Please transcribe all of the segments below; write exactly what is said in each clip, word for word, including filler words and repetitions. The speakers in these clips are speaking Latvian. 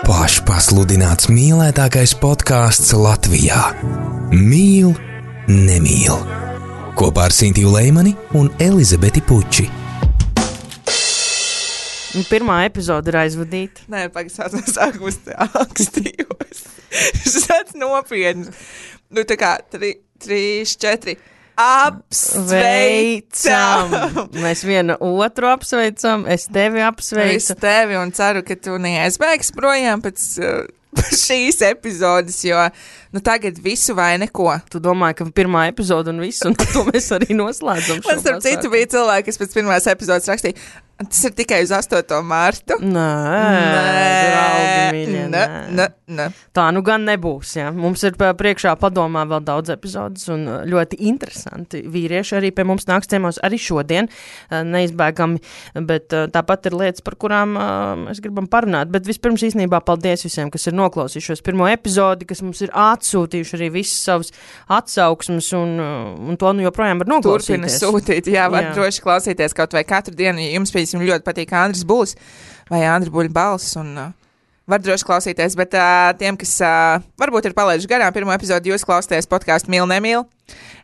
Pašpasludināts mīlētākais podcasts Latvijā. Mīl, nemīl. Kopā ar Sintiju Leimani un Elizabeti Puči. Pirmā epizode ir aizvadīta. Nē, pagaidās no sākumus te akstījos. Šāds nopietns. Nu, tā kā tri, trīs, četri. Apsveicam! Mēs vienu otru apsveicam, es tevi apsveicu. Es tevi un ceru, ka tu neaizbēgs projām pēc uh, šīs epizodes, jo nu, tagad visu vai neko. Tu domāji, ka pirmā epizode un viss, un to mēs arī noslēdzam. Man starp citu bija cilvēki, kas pēc pirmās epizodes rakstīja, tas ir tikai uz astoto mārtu. Nē, draugi mīļie, nē. Nē, nē. Tā nu gan nebūs, jā. Mums ir priekšā padomā vēl daudz epizodes un ļoti interesanti vīrieši arī pie mums nāks ciemos arī šodien, neizbēgami, bet tāpat ir lietas, par kurām mēs gribam parunāt. Bet vispirms īstenībā paldies visiem, kas ir noklausījušos pirmo epizodi, kas mums ir atsūtījuši arī visas savas atsauksmes un, un to nu joprojām var noklausīties. Turpina sūtīt, jā, var jā. droši klausīties kaut vai katru dienu, ja jums pēc Viņam ļoti patīk Andris Bulis vai Andri Buļa balss un uh, var droši klausīties, bet uh, tiem, kas uh, varbūt ir palaiduši garām pirmo epizodu, jūs klausāties podcastu Mīl, nemīl.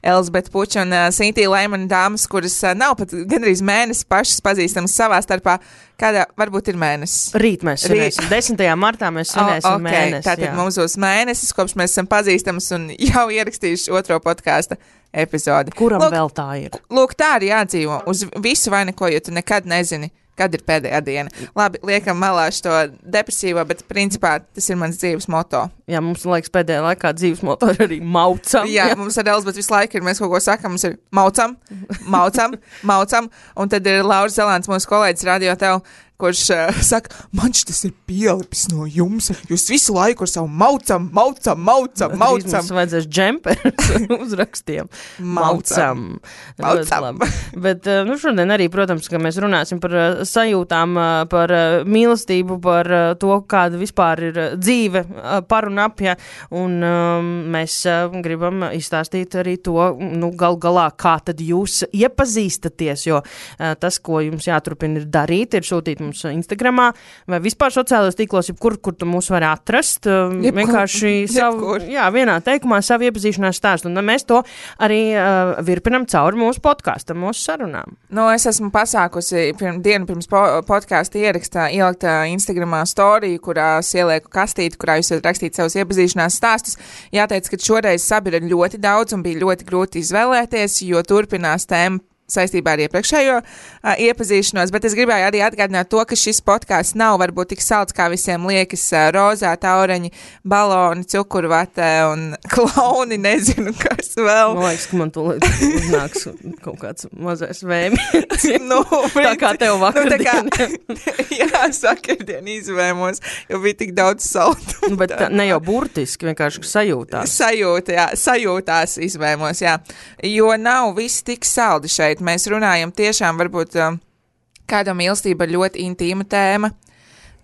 Elizabete Puča un uh, Sintija Leimani dāmas, kuras uh, nav pat gandrīz mēnesi pašas pazīstamas savā starpā. Kādā varbūt ir mēnesis? Rīt mēs svinēsim. desmitajā martā mēs svinēsim oh, okay. mēnesi. Tātad jā. Mums būs mēnesis, kopš mēs esam pazīstamas un jau ierakstījuši otro podkāsta epizodi. Kuram lūk, vēl tā ir? Lūk, tā arī jādzīvo. Uz visu vai neko, jo tu nekad nezini, kad ir pēdējā diena. Labi, liekam malā šo depresīvo, bet principā tas ir mans dzīves moto. Jā, mums liekas pēdējā laikā dzīves moto ir arī maucam. Jā, jā. Mums ar Elizabeti visu laiku ir, mēs kaut ko sakam, mums ir maucam, maucam, maucam, un tad ir Lauris Zelāns, mūsu kolēģis Radio Tev, kurš uh, saka, man šis ir pielipis no jums, jūs visu laiku ar savu maucam, maucam, maucam, maucam. Mums vajadzēs džemperus uzrakstiem. Maucam. Maucam. Bet, uh, nu, šodien arī, protams, ka mēs runāsim par uh, sajūtām, uh, par uh, mīlestību, par uh, to, kāda vispār ir uh, dzīve uh, par un ap, ja, un um, mēs uh, gribam izstāstīt arī to, nu, gal galā, kā tad jūs iepazīstaties, jo uh, tas, ko jums jāturpina ir darīt, ir sūtīt mums Instagramā vai vispār sociālajos tīklos, jebkur, kur tu mūs vari atrast. Jebkur, vienkārši savu, jā, vienā teikumā savu iepazīšanās stāstu. Un mēs to arī uh, virpinam cauri mūsu podkāstam, mūsu sarunām. Nu, es esmu pasākusi pirm, dienu pirms po, podkāsta ierakstā, ielikt Instagramā storiju, kurā ielieku kastīti, kurā jūs varat rakstīt savus iepazīšanās stāstus. Jāteic, ka šoreiz sabi ir ļoti daudz un bija ļoti grūti izvēlēties, jo turpinās tēma saistībā ar iepriekšējo uh, iepazīšanos, bet es gribēju arī atgādināt to, ka šis podkāsts nav varbūt tik salds, kā visiem liekas, uh, rozā, taureņi, baloni, cukurvate un klauni, nezinu, kas vēl. Man liekas, ka man to uznāks kaut kāds mazais vēmīts. nu, tā kā tev vakardien. Nu, jā, sakardien izvēmos, jo bija tik daudz saldu. Nu, bet tā, ne jau burtiski, vienkārši sajūtās. Sajūta, jā, sajūtās izvēmos, jā. Jo nav viss tik saldi šeit. Mēs runājam tiešām varbūt um, kāda mīlestība ir ļoti intīma tēma.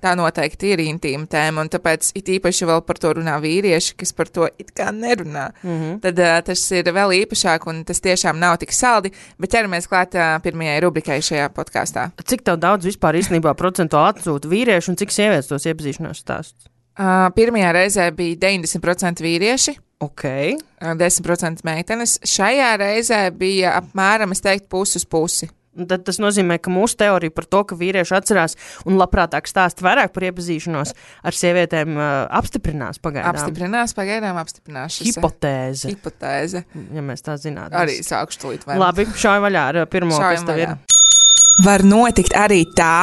Tā noteikti ir intīma tēma, un tāpēc it īpaši vēl par to runā vīrieši, kas par to it kā nerunā. Mm-hmm. Tad uh, tas ir vēl īpašāk, un tas tiešām nav tik saldi, bet ķeramies klāt uh, pirmajai rubrikai šajā podkāstā. Cik tev daudz vispār īstenībā procentuāli atsūta vīrieši, un cik sievietes tos iepazīšanās stāstus? Uh, pirmajā reizē bija deviņdesmit procenti vīrieši. Ok. desmit procenti meitenes. Šajā reizē bija apmēram, es teiktu, pusi uz pusi. Tad tas nozīmē, ka mūsu teorija par to, ka vīrieši atcerās un labprātāk stāst vairāk par iepazīšanos ar sievietēm uh, apstiprinās pagaidām. Apstiprinās, pagaidām apstiprinās. Hipotēze. Hipotēze. Ja mēs tā zinātu. Arī sākšu tūlīt vai. Labi, šauj vaļā ar pirmo, Šaujam kas tev vaļā. ir. Var notikt arī tā.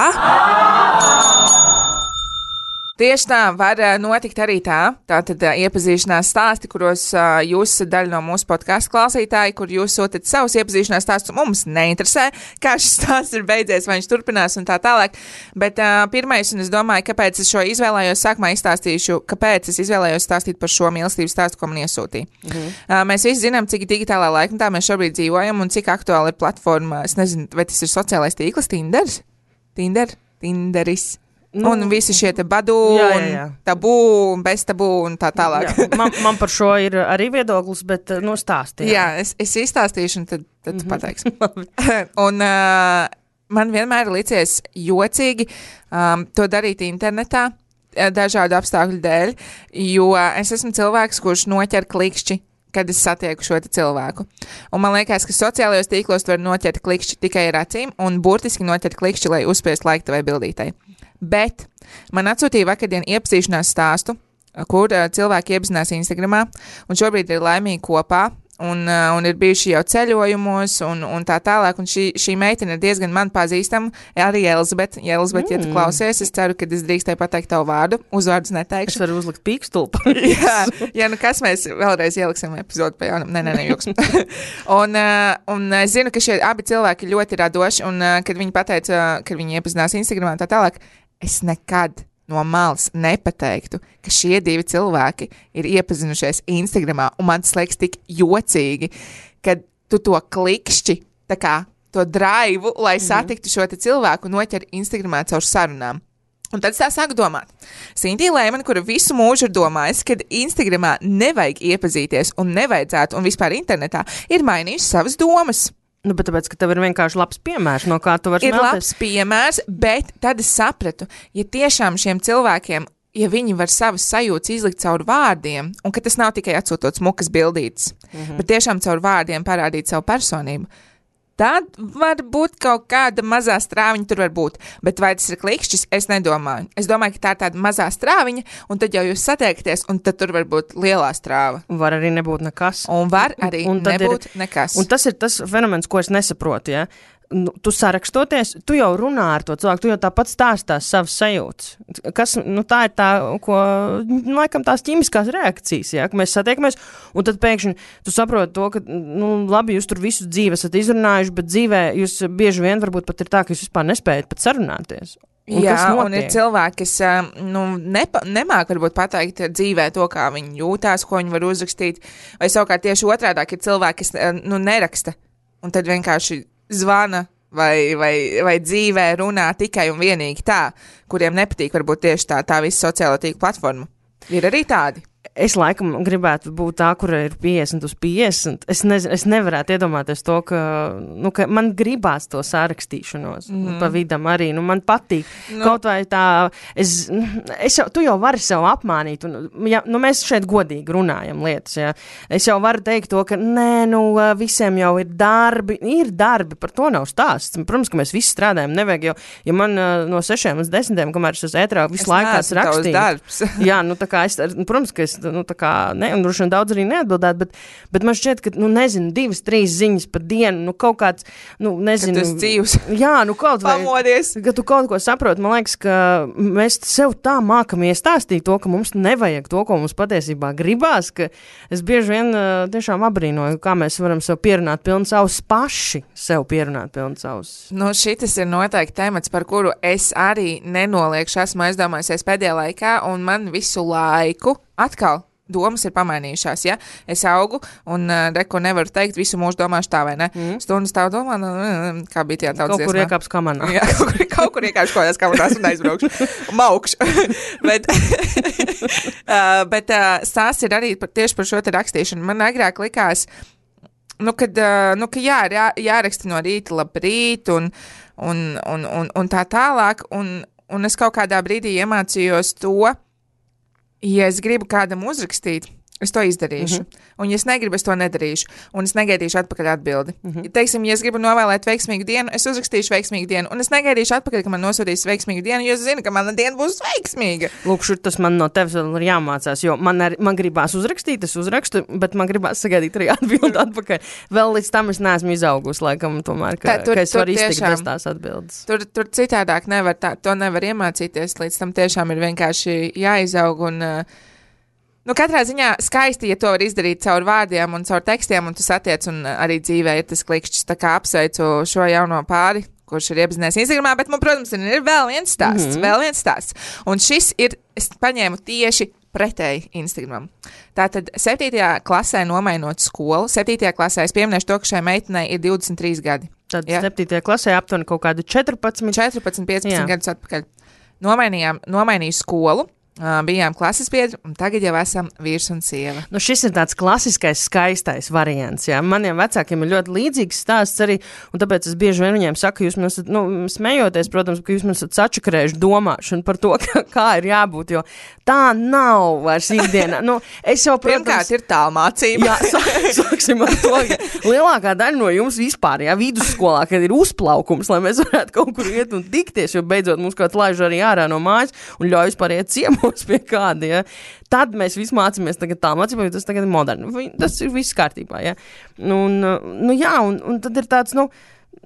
Tieši tā, var notikt arī tā. Tātad iepazīšanās stāsti, kuros uh, jūs esat daļa no mūsu podkāstu klausītāji, kur jūs sūtat savus iepazīšanās stāstus. Mums neinteresē, kā šis stāsts ir beidzies, vai viņš turpinās un tā tālāk. Bet uh, pirmais, un es domāju, kāpēc es šo izvēlējos, sākumā izstāstīšu, kāpēc es izvēlējos stāstīt par šo mīlestības stāstu, ko man iesūtīja. Mhm. Uh, mēs visi zinām, cik digitālā laikmetā mēs šobrīd dzīvojam un cik aktuāli ir platforma. Es nezinu, vai tas ir sociālais tīkls, Tinders? Tinder? Tinderis. Nu, un visi šie te badu, jā, jā, jā. Un tabū, un bez tabū, un tā tālāk. Jā, man, man par šo ir arī viedoklis, bet, nu, stāsti. Jā, jā es, es izstāstīšu, un tad, tad mm-hmm. tu pateiksi. un uh, man vienmēr licies jocīgi um, to darīt internetā, dažādu apstākļu dēļ, jo es esmu cilvēks, kurš noķer klikšķi, kad es satieku šo cilvēku. Un man liekas, ka sociālajos tīklos var noķert klikšķi tikai ar acīm un burtiski noķert klikšķi, lai uzspiest laiku vai bildītai. Bet man atsūtīja vakardien iepazīšanās stāstu, kur uh, cilvēki iepazinās Instagramā un šobrīd ir laimīgi kopā. Un, uh, un ir bijuši jau ceļojumos un, un tā tālāk, un šī, šī meitene ir diezgan man pazīstama, arī Elizabete. Ja, Elizabete, mm. ja tu klausies, es ceru, ka es drīkstēju pateikt tavu vārdu, uzvārdus neteikšu. Es varu uzlikt pīkstulpu. jā, jā, nu kas mēs vēlreiz ieliksim epizodu pa jaunam, nē, nē, nē, joks. un, uh, un es zinu, ka šie abi cilvēki ļoti radoši, un uh, kad viņi pateica, uh, kad viņi iepazinās Instagramā un tā tālāk, es nekad no malas nepateiktu, ka šie divi cilvēki ir iepazinušies Instagramā, un man tas liekas tik jocīgi, kad tu to klikšķi, tā kā to draivu, lai satiktu šo te cilvēku, noķer Instagramā caur sarunām. Un tad es tā sāku domāt. Sintija Leimane, kura visu mūžu ir domājusi, kad Instagramā nevajag iepazīties un nevajadzētu, un vispār internetā, ir mainījusi savas domas. Nu, bet tāpēc, ka tev ir vienkārši labs piemērs, no kā tu vari ir smelties. Labs piemērs, bet tad es sapratu, ja tiešām šiem cilvēkiem, ja viņi var savas sajūtas izlikt caur vārdiem, un ka tas nav tikai atsūtot smukas bildītes, mm-hmm. bet tiešām caur vārdiem parādīt savu personību, tad var būt kaut kāda mazā strāviņa tur var būt. Bet vai tas ir klikšķis, es nedomāju. Es domāju, ka tā ir tāda mazā strāviņa, un tad jau jūs satiekties, un tad tur var būt lielā strāva. Var arī nebūt nekas. Un var arī un, un nebūt ir, nekas. Un tas ir tas fenomens, ko es nesaprotu, ja? Nu, tu sarakstoties, tu jau runā ar to cilvēku, tu jau tāpat stāstās savas sajūtas. Kas, nu, tā ir tā, ko, laikam, tās ķīmiskās reakcijas, ja, ka mēs satiekamies, un tad pēkšņi tu saproti to, ka, nu, labi, jūs tur visu dzīvi esat izrunājuši, bet dzīvē jūs bieži vien varbūt pat ir tā, ka jūs vispār nespējat pat sarunāties. Un jā, un ir cilvēki, kas nu, nepa, nemāk varbūt pateikt dzīvē to, kā viņi jūtās, ko viņi var uzrakstīt, vai savukārt tieši otrādāk ir cilvēki, kas nu, neraksta, un tad vienkārši zvana vai, vai, vai dzīvē runā tikai un vienīgi tā, kuriem nepatīk varbūt tieši tā, tā visa sociālo tīklu platforma. Ir arī tādi. Es laikam gribētu būt tā, kura ir piecdesmit uz piecdesmit. Es, nezinu, es nevarētu iedomāties to, ka, nu, ka man gribās to sārakstīšanos mm. pa vidam arī. Nu, man patīk. Nu. Kaut vai tā, es, es jau, tu jau vari sev apmānīt. Un, ja, nu, mēs šeit godīgi runājam lietas. Ja. Es jau varu teikt to, ka nē, nu, visiem jau ir darbi. Ir darbi, par to nav stāsts. Protams, ka mēs visi strādājam. Nevajag jau, ja man no sešiem līdz desmitiem, kamēr es uz ētrā visu laiku kāds rakstīt. Jā, nu, tā kā es, protams, ka es nu, tā kā, ne, un droši vien daudz arī neatbildēt, bet, bet man šķiet, ka, nu, nezinu, divas, trīs ziņas pa dienu, nu, kaut kāds, nu, nezinu. Ka tu esi dzīvs. Jā, nu, kaut vai. Pamodies. Ka tu kaut ko saproti, man liekas, ka mēs sev tā mākam iestāstīt to, ka mums nevajag to, ko mums patiesībā gribās, ka es bieži vien uh, tiešām abrīnoju, kā mēs varam sev pierunāt pilnu savus paši, sev pierunāt pilnu savus. Nu, šitas ir noteikti temats, par kuru es arī nenoliekšu, esmu aizdomājusies pēdējā laikā, un man visu laiku atkal domas ir pamainījušās, ja? Es augu un uh, reku nevaru teikt, visu mūžu domāšu tā vai ne. Mm. Stundas tā domā, nu, kā bija tajā tautas dziesmā. Kaut kur iekāps kamanā. Jā, kaut kur, kaut kur iekāps kādās kamanās un aizbraukšu. Maukšu. bet uh, bet uh, stāsts ir arī par, tieši par šo te rakstīšanu. Man agrāk likās, nu, kad, uh, nu, ka jā, jā, jāraksta no rīta labrīt un, un, un, un, un tā tālāk, un, un es kaut kādā brīdī iemācījos to, ja es gribu kādam uzrakstīt, es to izdarīšu. Mm-hmm. Un, ja es negribu, es to nedarīšu. Un es negaidīšu atpakaļ atbildi. Mm-hmm. Ja, teiksim, ja es gribu novēlēt veiksmīgu dienu, es uzrakstīšu veiksmīgu dienu. Un es negaidīšu atpakaļ, ka man nosūtīs veiksmīgu dienu, jo es zinu, ka mana diena būs veiksmīga. Lūk, šur tas man no tevis vēl ir jāmācās, jo man, ar, man gribās uzrakstīt, es uzrakstu, bet man gribās sagaidīt arī atbildi atpakaļ. Vēl līdz tam es neesmu izaugus, laikam, tomēr, ka, tā, tur, ka es varu iztikt bez tās atbildes. Tur, tur citādāk nevar, tā, to nevar iemācīties, līdz tam tiešām ir vienkārši jāizaug un uh, nu, katrā ziņā skaisti, ja to var izdarīt caur vārdiem un caur tekstiem, un tu satiec, un arī dzīvē ir tas klikšķis. Tā kā apsveicu šo jauno pāri, kurš ir iepazinies Instagramā, bet man, protams, ir vēl viens stāsts, mm-hmm. vēl viens stāsts. Un šis ir, es paņēmu tieši pretēji Instagramam. Tātad septītajā klasē nomainot skolu, septītajā klasē es pieminēšu to, ka šai meitenei ir divdesmit trīs gadi. Tad ja? septītajā klasē aptuveni kaut kādu četrpadsmit. četrpadsmit, piecpadsmit Jā. Gadus atpakaļ. Nomainījām, nomainīju skolu. Uh, bijām klases biedri, un tagad jau esam vīrs un sieva. Nu, šis ir tāds klasiskais, skaistais variants. Jā. Maniem vecākiem ir ļoti līdzīgs stāsts arī, un tāpēc es bieži vien viņiem saku, jūs man esat, nu, smejoties, protams, ka jūs man esat sačakarējuši domāšanu par to, kā, kā ir jābūt, jo tā nav vairs ikdienā. Nu, es jau, protams... Pirmkārt ir tālmācība. Jā, sā, sāksim ar to, ka lielākā daļa no jums vispār, jā, vidusskolā, kad ir uzplaukums, lai mēs varētu kaut kur iet un tikties, jo beidzot mums kāds laiž arī ārā no mājas un ļauj vispār iet ciemos pie kāda, ja. Tad mēs visi mācāmies tagad tā mācībā, jo tas tagad ir moderni. Tas ir viss kārtībā, ja. Un, nu jā, un, un tad ir tāds, nu,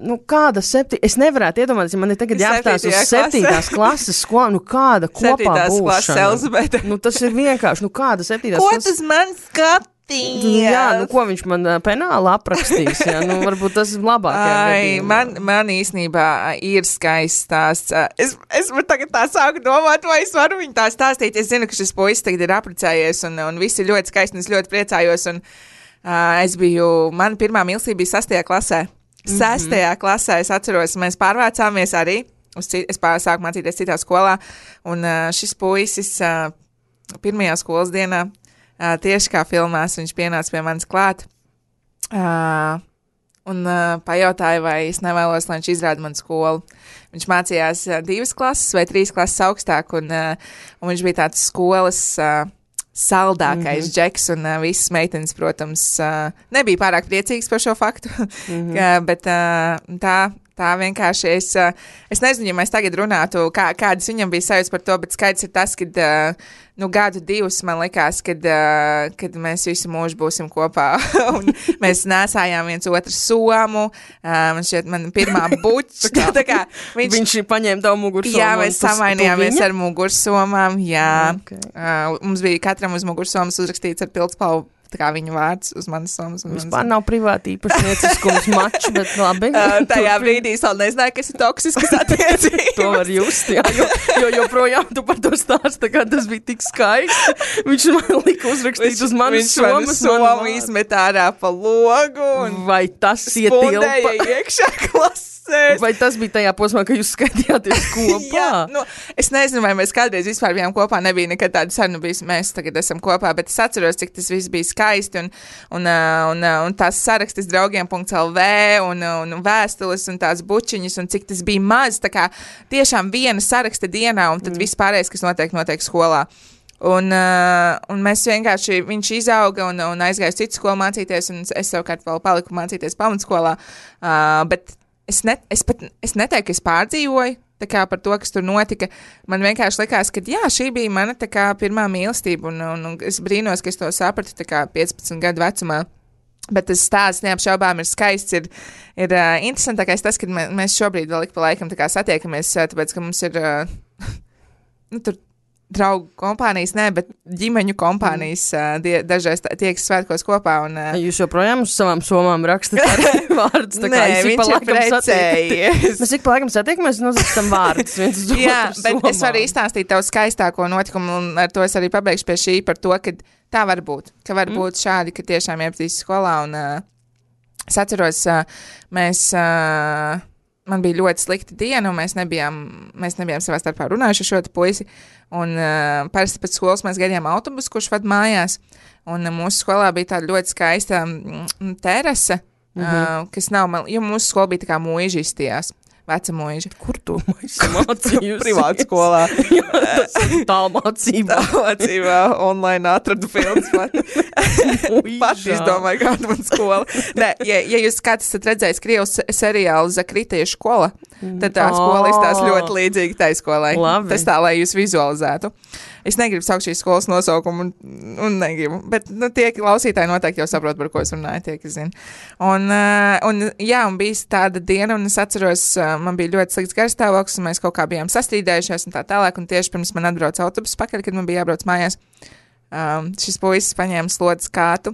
nu kāda septi... Es nevarētu iedomāties, ja man ir tagad jāapstās uz septītās klases skolā, nu kāda kopā septītās būšana. klases Elzabete. Nu tas ir vienkārši, nu kāda septītās Ko klases... tas man skatījās? Jā, nu ko viņš man penāli aprakstīs, jā, nu varbūt tas ir labākajā gadījumā. Man, man īstenībā ir skaists stāsts. Es, es tagad tā sāku domāt, vai es varu viņu tā stāstīt. Es zinu, ka šis puisis tagad ir apprecējies un, un viss ir ļoti skaisti un es ļoti priecājos. Un, uh, es biju, man pirmā mīlestība bija sastajā klasē. Mm-hmm. Sestajā klasē es atceros, mēs pārvācāmies arī. Uz, es pār, sāku mācīties citā skolā un uh, šis puisis uh, pirmajā skolas dienā Uh, tieši kā filmās, viņš pienāca pie manis klāt uh, un uh, pajautāja, vai es nevēlos, lai viņš izrāda manu skolu. Viņš mācījās uh, divas klases vai trīs klases augstāk, un, uh, un viņš bija tāds skolas uh, saldākais mm-hmm. džeks, un uh, visas meitenes, protams, uh, nebija pārāk priecīgas par šo faktu, mm-hmm. uh, bet uh, tā... Tā vienkārši es, es nezinu, ja mēs tagad runātu, kā, kādas viņam bija sajūtas par to, bet skaidrs ir tas, kad, nu, gadu divus man likās, kad, kad mēs visu mūžu būsim kopā, un mēs nesājām viens otru somu, man šķiet, man pirmā buča, tā kā viņš... Viņš paņēma tavu mugursomu. Jā, mēs samainījāmies ar mugursomām, jā, okay. uh, mums bija katram uz mugursomas uzrakstīts ar pildspalvu, tā kā viņa vārds uz manas somas. Vispār nav privāti īpašnieciskums mačs, bet labi. Uh, tajā brīdī es vēl nezināju, kas ir toksiskas attiecības. To var just, jā, jo, jo joprojām tu par to stāsti, tā kā tas bija tik skaisti. Viņš man lika uzrakstīt uz manas somas. Viņš man somu izmet ārā pa logu. Vai tas ietilpa? Spundēja iekšā klasē. Vai tas bija tajā posmā, ka jūs skaitījāties kopā? Jā, nu, es nezinu, vai mēs kādreiz vispār bijām kopā, nebija nekad tāda saruna, mēs tagad esam kopā, bet es atceros, cik tas viss bija skaisti, un, un, un, un tās sarakstas draugiem punkt el vē, un, un vēstules, un tās bučiņas, un cik tas bija maz, tā kā tiešām viena saraksta dienā, un tad mm. viss pārējais, kas notiek, notiek skolā. Un, uh, un mēs vienkārši, viņš izauga un, un aizgāja uz citu skolu mācīties, un es savukārt vēl paliku mācīties pamatskolā, uh, bet Es, ne, es pat es neteiktu, ka es pārdzīvoju tā kā par to, kas tur notika. Man vienkārši likās, ka jā, šī bija mana tā kā pirmā mīlestība, un, un, un es brīnos, ka es to sapratu tā kā piecpadsmit gadu vecumā. Bet tas stāsts neapšaubām ir skaists, ir, ir uh, interesantākais tas, ka mē, mēs šobrīd vēl ik pa laikam tā kā satiekamies, uh, tāpēc, ka mums ir, uh, nu, tur draugu kompānijas, ne, bet ģimeņu kompānijas uh, die, dažreiz tiekas svētkos kopā. Un, uh, Jūs joprojām uz savām somām rakstat arī vārdus, tā kā Nē, viņš ir precējies. Mēs ik pa laikam satiekamies un uzrakstam vārdus viens uz otru Jā, bet somām. es varu izstāstīt tavu skaistāko notikumu, un ar to es arī pabeigšu pie šī par to, ka tā var būt, ka var mm. būt šādi, ka tiešām iepazīst skolā, un uh, es atceros, uh, mēs... Uh, Man bija ļoti slikta diena, un mēs nebijām, mēs nebijām savā starpā runājuši ar šo puisi. Un uh, parasti pēc skolas mēs gaidījām autobusu, kurš ved mājās. Un uh, mūsu skolā bija tāda ļoti skaista mm, terase, mm-hmm. uh, kas nav, man, jo mūsu skola bija tā kā mūža izstījās. Veca mūža. Kur tu mācījusi? Privāta skolā. Jā, tas ir tālmācībā. Tālmācībā online atradu filmas pat. Pat izdomāju, kāda man skola. Nē, ja, ja jūs kāds esat redzējis Krievas seriālu Zakritiešu skola, tad tā skola izstās ļoti līdzīgi tai skolai. Labi. Tas tā, lai jūs vizualizētu. Es negribu saukt šīs skolas nosaukumu, un, un negribu, bet nu, tie klausītāji noteikti jau saprot, par ko es runāju, tie, kas zina. Un, uh, un, jā, un bija tāda diena, un es atceros, uh, man bija ļoti slikts garstāvoklis, un mēs kaut kā bijām sastrīdējušies un tā tālāk, un tieši pirms man atbrauc autobus pakaļ, kad man bija jābrauc mājās, um, šis puisis paņēma slotas kātu,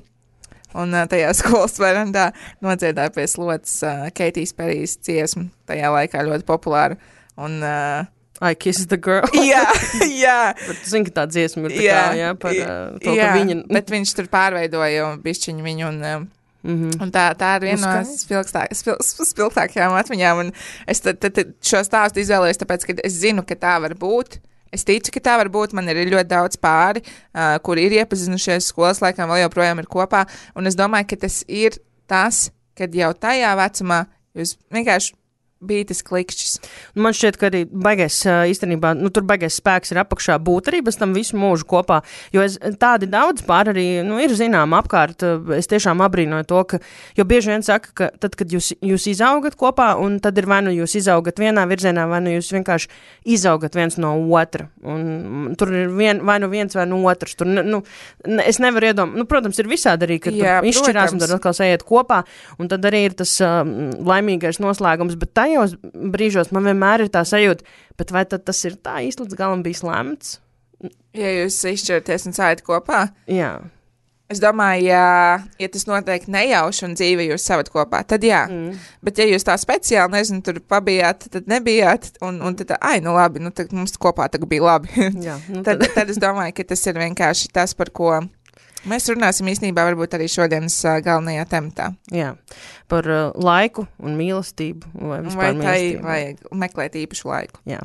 un uh, tajā skolas verandā nodziedāja pie slotas uh, Keitijas Perijas dziesmu, tajā laikā ļoti populāru, un... Uh, I Kiss the Girl. Jā, jā. Bet tu zini, ka tā dziesma ir tā jā, kā, jā, par uh, to, jā, ka viņa... bet viņš tur pārveidoja bišķiņu viņu, un, um, mm-hmm. un tā, tā ir viena no spilgtāk, spil, spilgtākajām atmiņām, un es tad, tad, tad šo stāstu izvēlējos, tāpēc, ka es zinu, ka tā var būt, Es ticu, ka tā var būt. Man ir ļoti daudz pāri, uh, kuri ir iepazinušies skolas laikā, vēl joprojām ir kopā. Un es domāju, ka tas ir tas, kad jau tajā vecumā jūs vienkārši bija tas klikšķis. Man šķiet, ka arī baigais īstenībā, nu tur baigais spēks ir apakšā būt arī bez tam visu mūžu kopā, jo es, tādi daudz pār arī, nu ir zinām apkārt, es tiešām abrīnoju to, ka, jo bieži vien saka, ka tad, kad jūs, jūs izaugat kopā, un tad ir vai nu jūs izaugat vienā virzienā, vai nu jūs vienkārši izaugat viens no otra, un tur ir vien, vai nu viens vai nu otrs, tur, nu, es nevaru iedomāt, nu, protams, ir visādi arī, ka Jā, tu izšķirās un tad atkal sajiet kopā, un tad arī ir tas um, laimīgais noslēgums, bet tajos brīžos man vienmēr ir tā sajūta, bet vai tad tas ir tā īsti līdz galam bijis lemts? Ja jūs izšķirties un sājat kopā? Jā. Es domāju, ja, ja tas notiek nejauši un dzīve jūs savat kopā, tad jā. Mm. Bet ja jūs tā speciāli, nezinu, tur pabijāt, tad nebijāt, un, un tad, ai, nu labi, nu tad mums kopā tagad bija labi. Jā, nu tad, tad es domāju, ka tas ir vienkārši tas, par ko mēs runāsim īstenībā varbūt arī šodienas uh, galvenajā tematā. Jā, par uh, laiku un mīlestību. Vai, vai tai vajag meklēt īpašu laiku. Jā,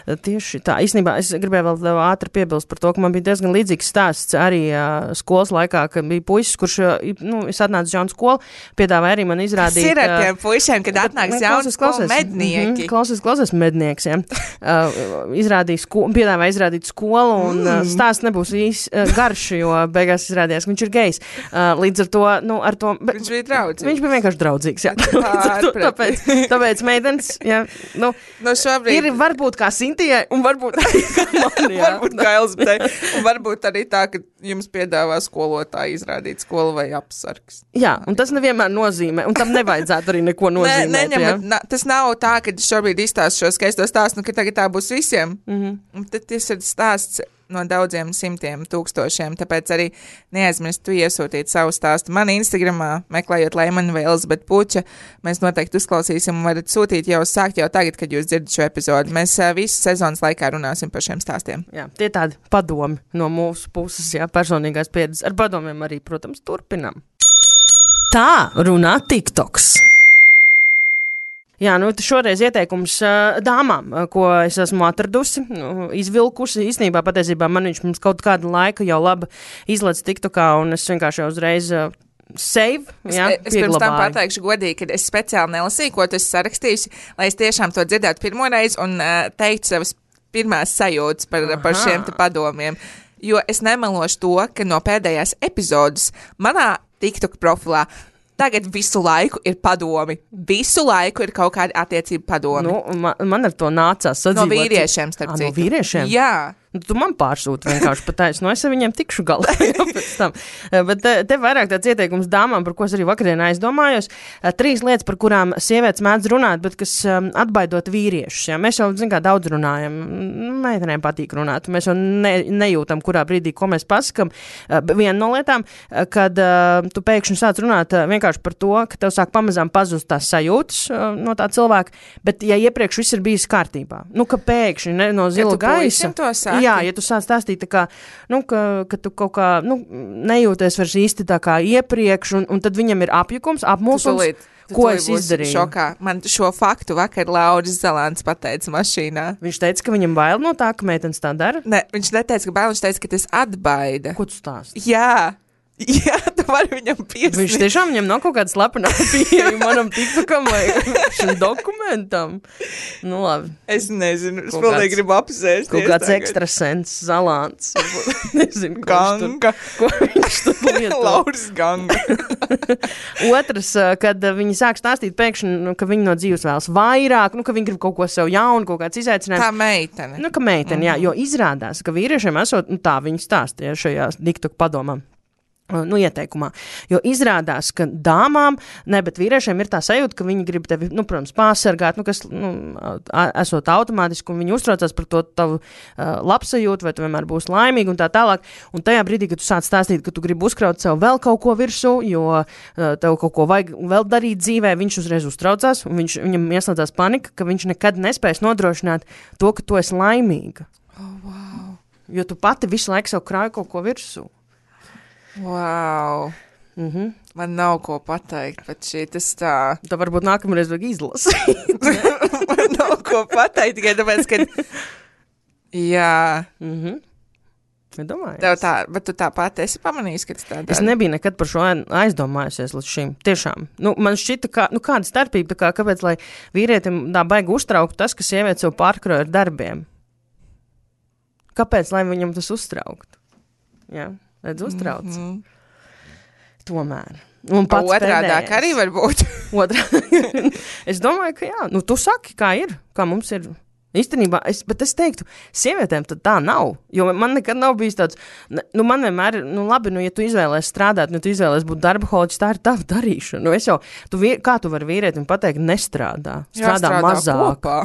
tieši tā. Īstenībā es gribēju vēl ātri piebilst par to, ka man bija diezgan līdzīgs stāsts arī uh, skolas laikā, ka bija puisis, kurš, uh, nu, es atnācu uz jaunu skolu, piedāvāja arī man izrādīt. Kas ir ar tiem puišiem, kad atnāks jaunu skolu mednieki? Mm-hmm, klausies, klausies mednieks, jā. Uh, izrādīja skolu, piedāvāja izrādīt skolu, un uh, stāsts nebūs īs uh, garš, jo beigās izrādījās, ka viņš ir gejs. Uh, līdz ar to, nu, ar to... Bet, viņš bija draudzīgs. Viņš bija vienkārši draudzīgs, jā. tāpēc, tāpēc meitenes, jā, nu, no šobrīd... ir varbūt kā Sintijai, un varbūt arī kā man, jā. varbūt kā Elzbetei, un varbūt arī tā, ka jums piedāvā skolotāji izrādīt skolu vai apsargs. Jā, un tas nevienmēr nozīmē, un tam nevajadzētu arī neko nozīmēt, ne, neņem, na, tas nav tā, ka šobrīd izstāstu šo skaisto stāstu, nu, ka tagad tā būs visiem. Mm-hmm. Un tad tas ir stāsts no daudziem simtiem tūkstošiem, tāpēc arī neaizmirst tu iesūtīt savu stāstu man Instagramā, meklējot Leimani vai Elizabeti Puča. Mēs noteikti uzklausīsim un varat sūtīt jau sākt jau tagad, kad jūs dzirdat šo epizodu. Mēs uh, visu sezonas laikā runāsim par šiem stāstiem. Jā, tie tādi padomi no mūsu puses, jā, personīgās pieredzes. Ar padomiem arī, protams, turpinam. Tā runā TikToks. Jā, nu šoreiz ieteikums uh, dāmām, uh, ko es esmu atradusi, nu, izvilkusi. Īstenībā patiesībā man viņš mums kaut kādu laiku jau labi izlaiž TikTokā, un es vienkārši jau uzreiz uh, save, jā, es, es pirms tam pateikšu godīgi, ka es speciāli nelasīju, ko tu esi sarakstījusi, lai es tiešām to dzirdētu pirmoreiz un uh, teiktu savas pirmās sajūtas par, par šiem te padomiem. Jo es nemelošu to, ka no pēdējās epizodes manā TikTok profilā tagad visu laiku ir padomi. Visu laiku ir kaut kādi attiecību padomi. Nu, man, man ar to nācās sadzīvot. No vīriešiem, starp citu. No vīriešiem? Jā. Nu, tu man pārsūti vienkārši pateici, nu es ar viņiem tikšu galā pēc tam. Bet te, te vairāk tāds ieteikums dāmām, par ko es arī vakardienā aizdomājos. Trīs lietas, par kurām sievietes mēdz runāt, bet kas um, atbaidot vīriešus. Ja? Mēs jau, zin kā, daudz runājam. Meitenēm patīk runāt. Mēs jau ne, nejūtam, kurā brīdī, ko mēs pasakam. Uh, viena no lietām, kad uh, tu pēkšņi sāc runāt uh, vienkārši par to, ka tev sāk pamazām pazust tās sajūtas uh, no tā cilvēka, bet ja iepriekš viss ir bijis kārtībā, nu, ka pēkšņi ne, no zila gaisa. Jā, ja tu sāc stāstīt tā kā, nu, ka, ka tu kaut kā, nu, nejūties vairs īsti tā kā iepriekš, un, un tad viņam ir apjukums, apmulsums, ko es izdarīju. Šokā. Man šo faktu vakar Lauris Zalāns pateica mašīnā. Viņš teica, ka viņam bail no tā, ka meitenes tā dara? Ne, viņš neteica, ka bail, viņš teica, ka tas atbaida. Ko tu stāsti? Jā. Jā, tu vari viņam piesniegt. Viņš tiešām viņam nav kaut kāda slepenā pieeja manam TikTokam vai šim dokumentam. Nu, labi. Es nezinu, es vēl negribu apsēsties. Kaut kāds ekstrasens, Zalāns. Nezinu, Ganga. Ko viņš tur lieto. Lauris Ganga. Otrs, kad viņi sāk stāstīt pēkšņi, ka viņi no dzīves vēlas vairāk, nu, ka viņi grib kaut ko sev jaunu, kaut kāds izaicinājums. Tā meitene. Nu, ka meitene, mm-hmm. jā, jo izrādās, ka vīriešiem esot, nu, tā viņi stāstīja šajā TikTok padomā. Nu, ieteikumā, jo izrādās, ka dāmām, ne, bet vīriešiem ir tā sajūta, ka viņi grib tevi, nu, protams, pārsargāt, nu, kas, nu, esot automātiski, un viņi uztraucās par to tavu uh, labsajūtu, vai tu vienmēr būsi laimīgi un tā tālāk, un tajā brīdī, kad tu sāc stāstīt, ka tu gribi uzkraut sev vēl kaut ko virsū, jo uh, tev kaut ko vajag vēl darīt dzīvē, viņš uzreiz uztraucās, un viņš, viņam ieslēdzās panika, ka viņš nekad nespēs nodrošināt to, ka tu esi laimīga. Oh, wow. Jo tu pati visu laiku sev krāji kaut ko virsū. Wow. Mm-hmm. Man nav ko pateikt, bet šī tas tā. Tā varbūt nākamreiz vajag izlasīt. Man nav ko pateikt, tikai tāpēc, ka Jā. Mhm. Domāju, Tev tā, bet tu tāpat esi pamanījis, ka tas tā dara? Es nebiju nekad par šo aizdomājusies līdz šim. Tiešām. Nu, man šķita, kā, nu, kāda starpība, tā kā, kāpēc, lai vīrietim tā baigi uztraukt tas, ka sieviete sev pārkroja ar darbiem? Kāpēc, lai viņam tas uztraukt? Jā, redz uztrauc. Mm-hmm. Tomēr. Un pats otrādāk arī var būt. Otrā. Es domāju, ka jā. Nu, tu saki, kā ir, kā mums ir. Īstenībā, es, bet es teiktu, sievietēm tad tā nav, jo man nekad nav bijis tāds, nu man vienmēr, nu labi, nu ja tu izvēlēsi strādāt, nu tu izvēlēsi būt darba holiķis, tā ir tava darīšana, nu es jau, tu, kā tu vari vīrietim pateikt, nestrādā, strādā jāstrādā mazāk. Kopā.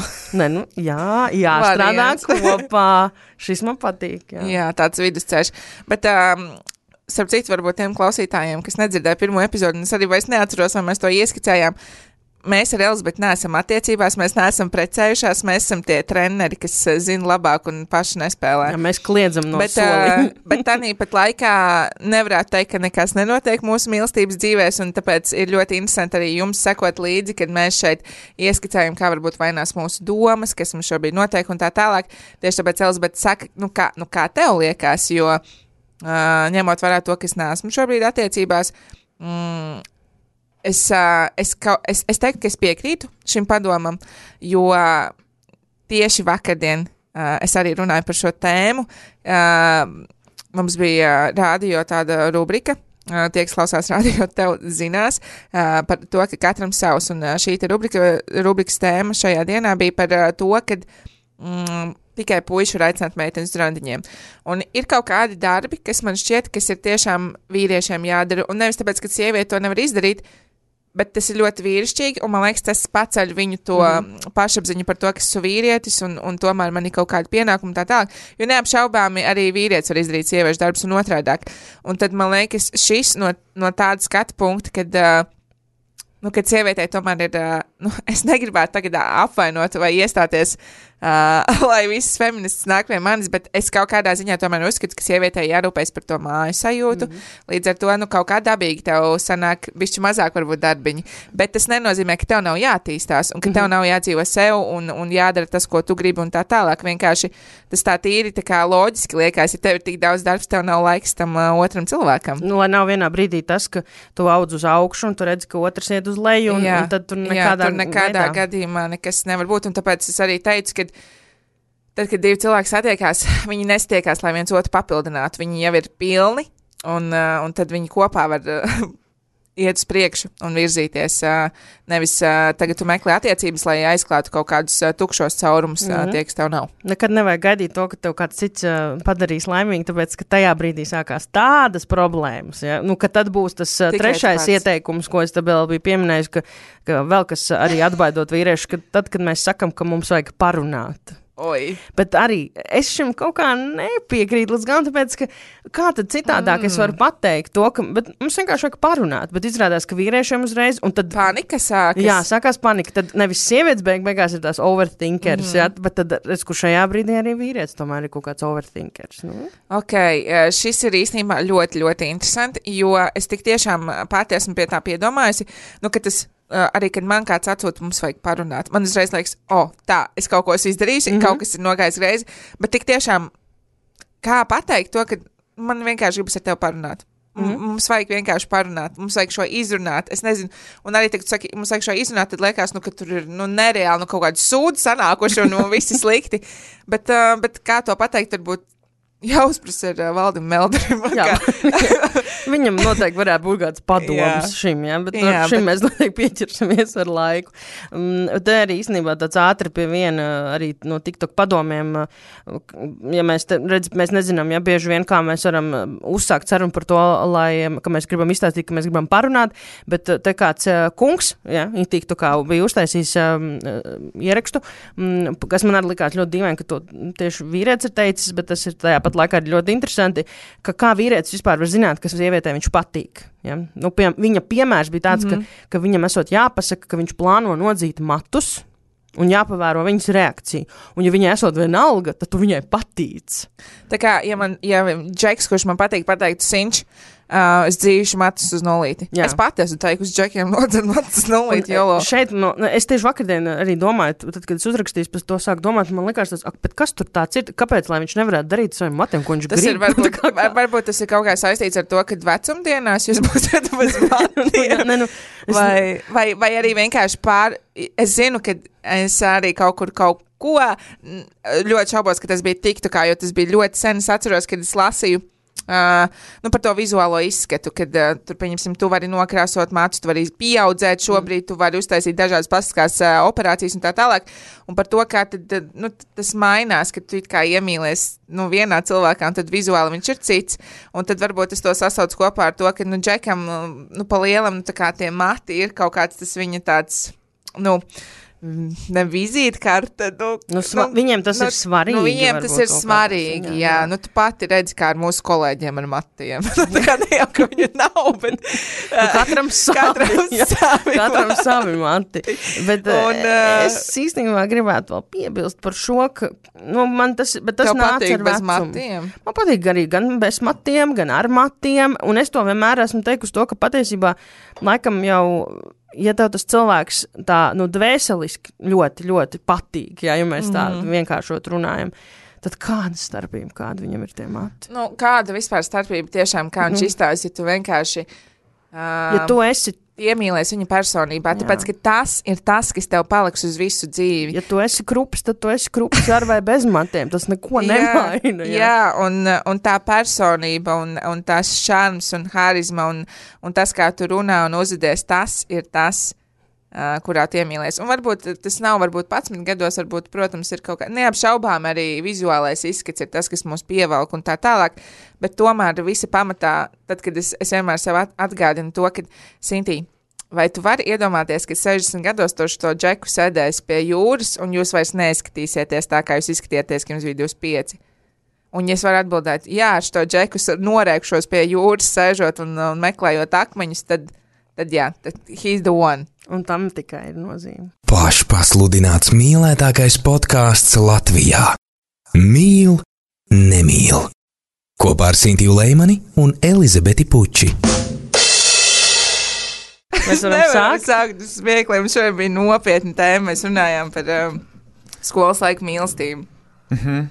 Ne, nu jā, jāstrādā kopā, šis man patīk, jā. Jā, tāds vidusceļš, bet, um, starp citu, varbūt tiem klausītājiem, kas nedzirdēja pirmo epizodu, un es arī vairs neatceros, vai mēs to ieskicējām. Mēs ar Elizabeti neesam attiecībās, mēs neesam precējušās, mēs esam tie treneri, kas zina labāk un paši nespēlē. Jā, mēs kliedzam no bet, solī. Bet tanī pat laikā nevarētu teikt, ka nekas nenotiek mūsu mīlestības dzīvēs, un tāpēc ir ļoti interesanti arī jums sekot līdzi, kad mēs šeit ieskicējam, kā varbūt vainās mūsu domas, kas mums šobrīd notiek un tā tālāk. Tieši tāpēc Elizabete saka, nu kā, nu kā tev liekas, jo uh, ņemot vērā to, ka es neesmu šobrīd attiecībās, mm, Es, es, es, es teiktu, ka es piekrītu šim padomam, jo tieši vakardien es arī runāju par šo tēmu. Mums bija rādio tāda rubrika, tie, kas klausās rādio, tev zinās par to, ka katram savs, un šī te rubrika, rubrikas tēma šajā dienā bija par to, kad mm, tikai puiši var aicināt meitenes randiņiem. Un ir kaut kādi darbi, kas man šķiet, kas ir tiešām vīriešiem jādara, un nevis tāpēc, ka sieviete to nevar izdarīt, bet tas ir ļoti vīrišķīgi, un man liekas, tas paceļ viņu to mm. pašapziņu par to, ka esmu vīrietis, un, un tomēr man ir kaut kāda pienākuma tā tālāk, jo neapšaubāmi arī vīrietis var izdarīt sieviešu darbus un otrādāk. Un tad man liekas, šis no, no tāda skatu punkta, kad, uh, nu, kad sievietei tomēr ir, uh, nu, es negribētu tagad apvainot vai iestāties, uh, lai visas feministas nāk pie manis, bet es kaut kādā ziņā tomēr uzskatu, ka sievietei jārūpēs par to māju sajūtu. Mm-hmm. Līdz ar to, nu, kaut kā dabīgi tev sanāk bišķi mazāk varbūt darbiņi. Bet tas nenozīmē, ka tev nav jātīstās un ka mm-hmm. tev nav jādzīvo sev un, un jādara tas, ko tu gribi un tā tālāk. Vienkārši tas tā tīri tā kā loģiski liekas, ja tev ir tik daudz darbs, tev nav laiks tam uh, otram cilvēkam. Nu, lai nav vienā brīdī tas, ka tu audz uz augšu un tu redzi, ka otrs iet uz leju un, jā, un tad tur nekādā, jā, tur nekādā veidā. gadījumā nekas nevar būt. Un tāpēc es arī teicu, ka tad, kad divi cilvēki satiekās, viņi nestiekās, lai viens otru papildinātu. Viņi jau ir pilni, un, uh, un tad viņi kopā var uh, iet uz priekšu un virzīties. Uh, nevis uh, tagad tu meklē attiecības, lai aizklātu kaut kādus uh, tukšos caurumus, mm-hmm. uh, tie, kas tev nav. Nekad nevajag gaidīt to, ka tev kāds cits uh, padarīs laimīgi, tāpēc, ka tajā brīdī sākās tādas problēmas. Ja? Nu, ka tad būs tas uh, trešais pats ieteikums, ko es te vēl biju pieminējis, ka, ka vēl kas arī atbaidot vīriešu, ka tad, kad mēs sakam, ka mums vajag parunāt. Oi. Bet arī es šim kaut kā nepiekrītu līdz gan, tāpēc, ka kā tad citādāk mm. es varu pateikt to, ka, bet mums vienkārši vajag parunāt, bet izrādās, ka vīriešiem uzreiz, un tad... Panika sākas. Jā, sākās panika, tad nevis sievietes beig, beigās ir tās overthinkers, mm. jā, bet tad, es, kur šajā brīdī arī vīrietis tomēr ir kaut kāds overthinkers, nu? Ok, šis ir īstenībā ļoti, ļoti interesanti, jo es tik tiešām pati esmu pie tā piedomājusi, nu, ka tas Uh, arī, kad man kāds atsūta, mums vajag parunāt. Man uzreiz liekas, o, oh, tā, es kaut ko esmu izdarījusi, mm-hmm. kaut kas ir nogājis greizi, bet tik tiešām, kā pateikt to, ka man vienkārši gribas ar tevi parunāt. Mm-hmm. Mums vajag vienkārši parunāt, mums vajag šo izrunāt, es nezinu, un arī, kad tu saki, mums vajag šo izrunāt, tad liekas, nu, ka tur ir, nu, nereāli, nu, kaut kādi sūdi sanākuši un, nu, visi slikti, bet, uh, bet kā to pateikt, varbūt jāuzprasa ar uh, Valdim Melderim. Jā. Viņam noteikti varētu būt kāds padoms jā. šim, ja? Bet jā, šim bet... mēs noteikti pieķersimies ar laiku. Um, te arī īstenībā tāds ātri pie viena arī no TikTok padomiem, ja mēs te, redz, mēs nezinām, ja bieži vien kā mēs varam uzsākt sarunu par to, lai, ka mēs gribam izstāstīt, ka mēs gribam parunāt, bet te kāds uh, kungs, ja, TikTokā bija uztaisījis um, ierakstu, um, kas man arī likās ļoti dīvaini, ka to tieši vīrietis ir teicis, bet tas ir tajā pat laikā ļoti interesanti, ka kā vīrietis vispār var zināt, kas sievietē viņš patīk. Ja? Nu, pie, viņa piemērs bija tāds, mm-hmm. ka, ka viņam esot jāpasaka, ka viņš plāno nodzīt matus un jāpavēro viņas reakciju. Un ja viņai esot vienalga, tad tu viņai patīc. Tā kā, ja man, ja Džeks, kurš man patīk, pateiktu Sinč, uh, es dzīšu matus uz nulīti. Jā. Es pati esmu teikusi džekiem nodzer matus uz nulīti, jolo. Šeit, no, es tieši vakardien arī domāju, tad, kad es uzrakstīju, pēc to sāku domāt, man likās tas, ak, bet kas tur tāds ir, kāpēc, lai viņš nevarētu darīt saviem matiem, ko viņš tas grib? Ir, varbūt, var, varbūt tas ir kaut kā saistīts ar to, ka vecumdienās jūs būsiet bez matiem. ne, nu, es... vai, vai, vai arī vienkārši pār, es zinu, ka es arī kaut kur kaut ko ļoti šaubos, ka tas bija tiktukā, jo tas bija ļoti sen. Es atceros, kad es lasīju Uh, nu, par to vizuālo izskatu, kad uh, tur, pieņemsim, tu vari nokrāsot matus, tu vari pieaudzēt šobrīd, tu vari uztaisīt dažādas plastiskās uh, operācijas un tā tālāk. Un par to, kā tad, nu, tas mainās, kad tu it kā iemīlies nu, vienā cilvēkā, un tad vizuāli viņš ir cits. Un tad varbūt es to sasaucu kopā ar to, ka, nu, džekam, nu, pa lielam, nu, tā kā tie mati ir kaut kāds tas viņa tāds, nu, ne vizītkarte. Nu, nu, sva, nu, viņiem tas nu, ir svarīgi. Nu, viņiem tas ir svarīgi, jā. jā. Nu, tu pati redzi, kā ar mūsu kolēģiem ar matiem. Tā kā ne jau, ka viņu nav, bet... nu, katram savi. Katram savi, katram savi mati. Bet un, uh, es īstenībā gribētu vēl piebilst par šo, ka, nu, man tas, bet tas nāca ar vecumu. Matiem? Man patīk arī gan bez matiem, gan ar matiem, un es to vienmēr esmu teikusi to, ka patiesībā laikam jau... Ja tev tas cilvēks tā, nu, dvēseliski ļoti, ļoti patīk, jā, ja mēs tā mm. vienkāršot runājam, tad kāda starpība, kāda viņam ir tie mati? Nu, kāda vispār starpība tiešām, kā viņš mm. izstājas, ja tu vienkārši... Uh, ja tu esi... iemīlies viņa personībā, jā. Tāpēc, ka tas ir tas, kas tev paliks uz visu dzīvi. Ja tu esi krups, tad tu esi krups ar vai bez matiem, tas neko nemaina. Jā, jā un, un tā personība, un, un tās šarms un harizma, un, un tas, kā tu runā un uzvedies, tas ir tas, uh, kurā tu iemīlies. Un varbūt tas nav, varbūt padsmit gados, varbūt, protams, ir kaut kā, neapšaubām arī vizuālais izskats ir tas, kas mūs pievelk un tā tālāk, bet tomēr visa pamatā, tad, kad es, es vienmēr sev atgādinu to, ka, Sintī, vai tu vari iedomāties, ka sešdesmit gados tu šo džeku sēdēs pie jūras, un jūs vairs neizskatīsieties tā, kā jūs izskatieties, ka jums bija divdesmit pieci? Un ja es varu atbildēt, jā, ar šo džeku norēkšos pie jūras, sēžot un, un meklējot akmeņus, tad, tad jā, tad he's the one. Un tam tikai ir nozīme. Pašpasludināts mīlētākais podkāsts Latvijā. Mīl, nemīl. Kopā ar Sintiju Leimani un Elizabeti Puči. Mēs varam sākt. sākt smiekliem. Šodien bija nopietna tēma. Mēs runājām par um, skolas laiku mīlestību. Mhm.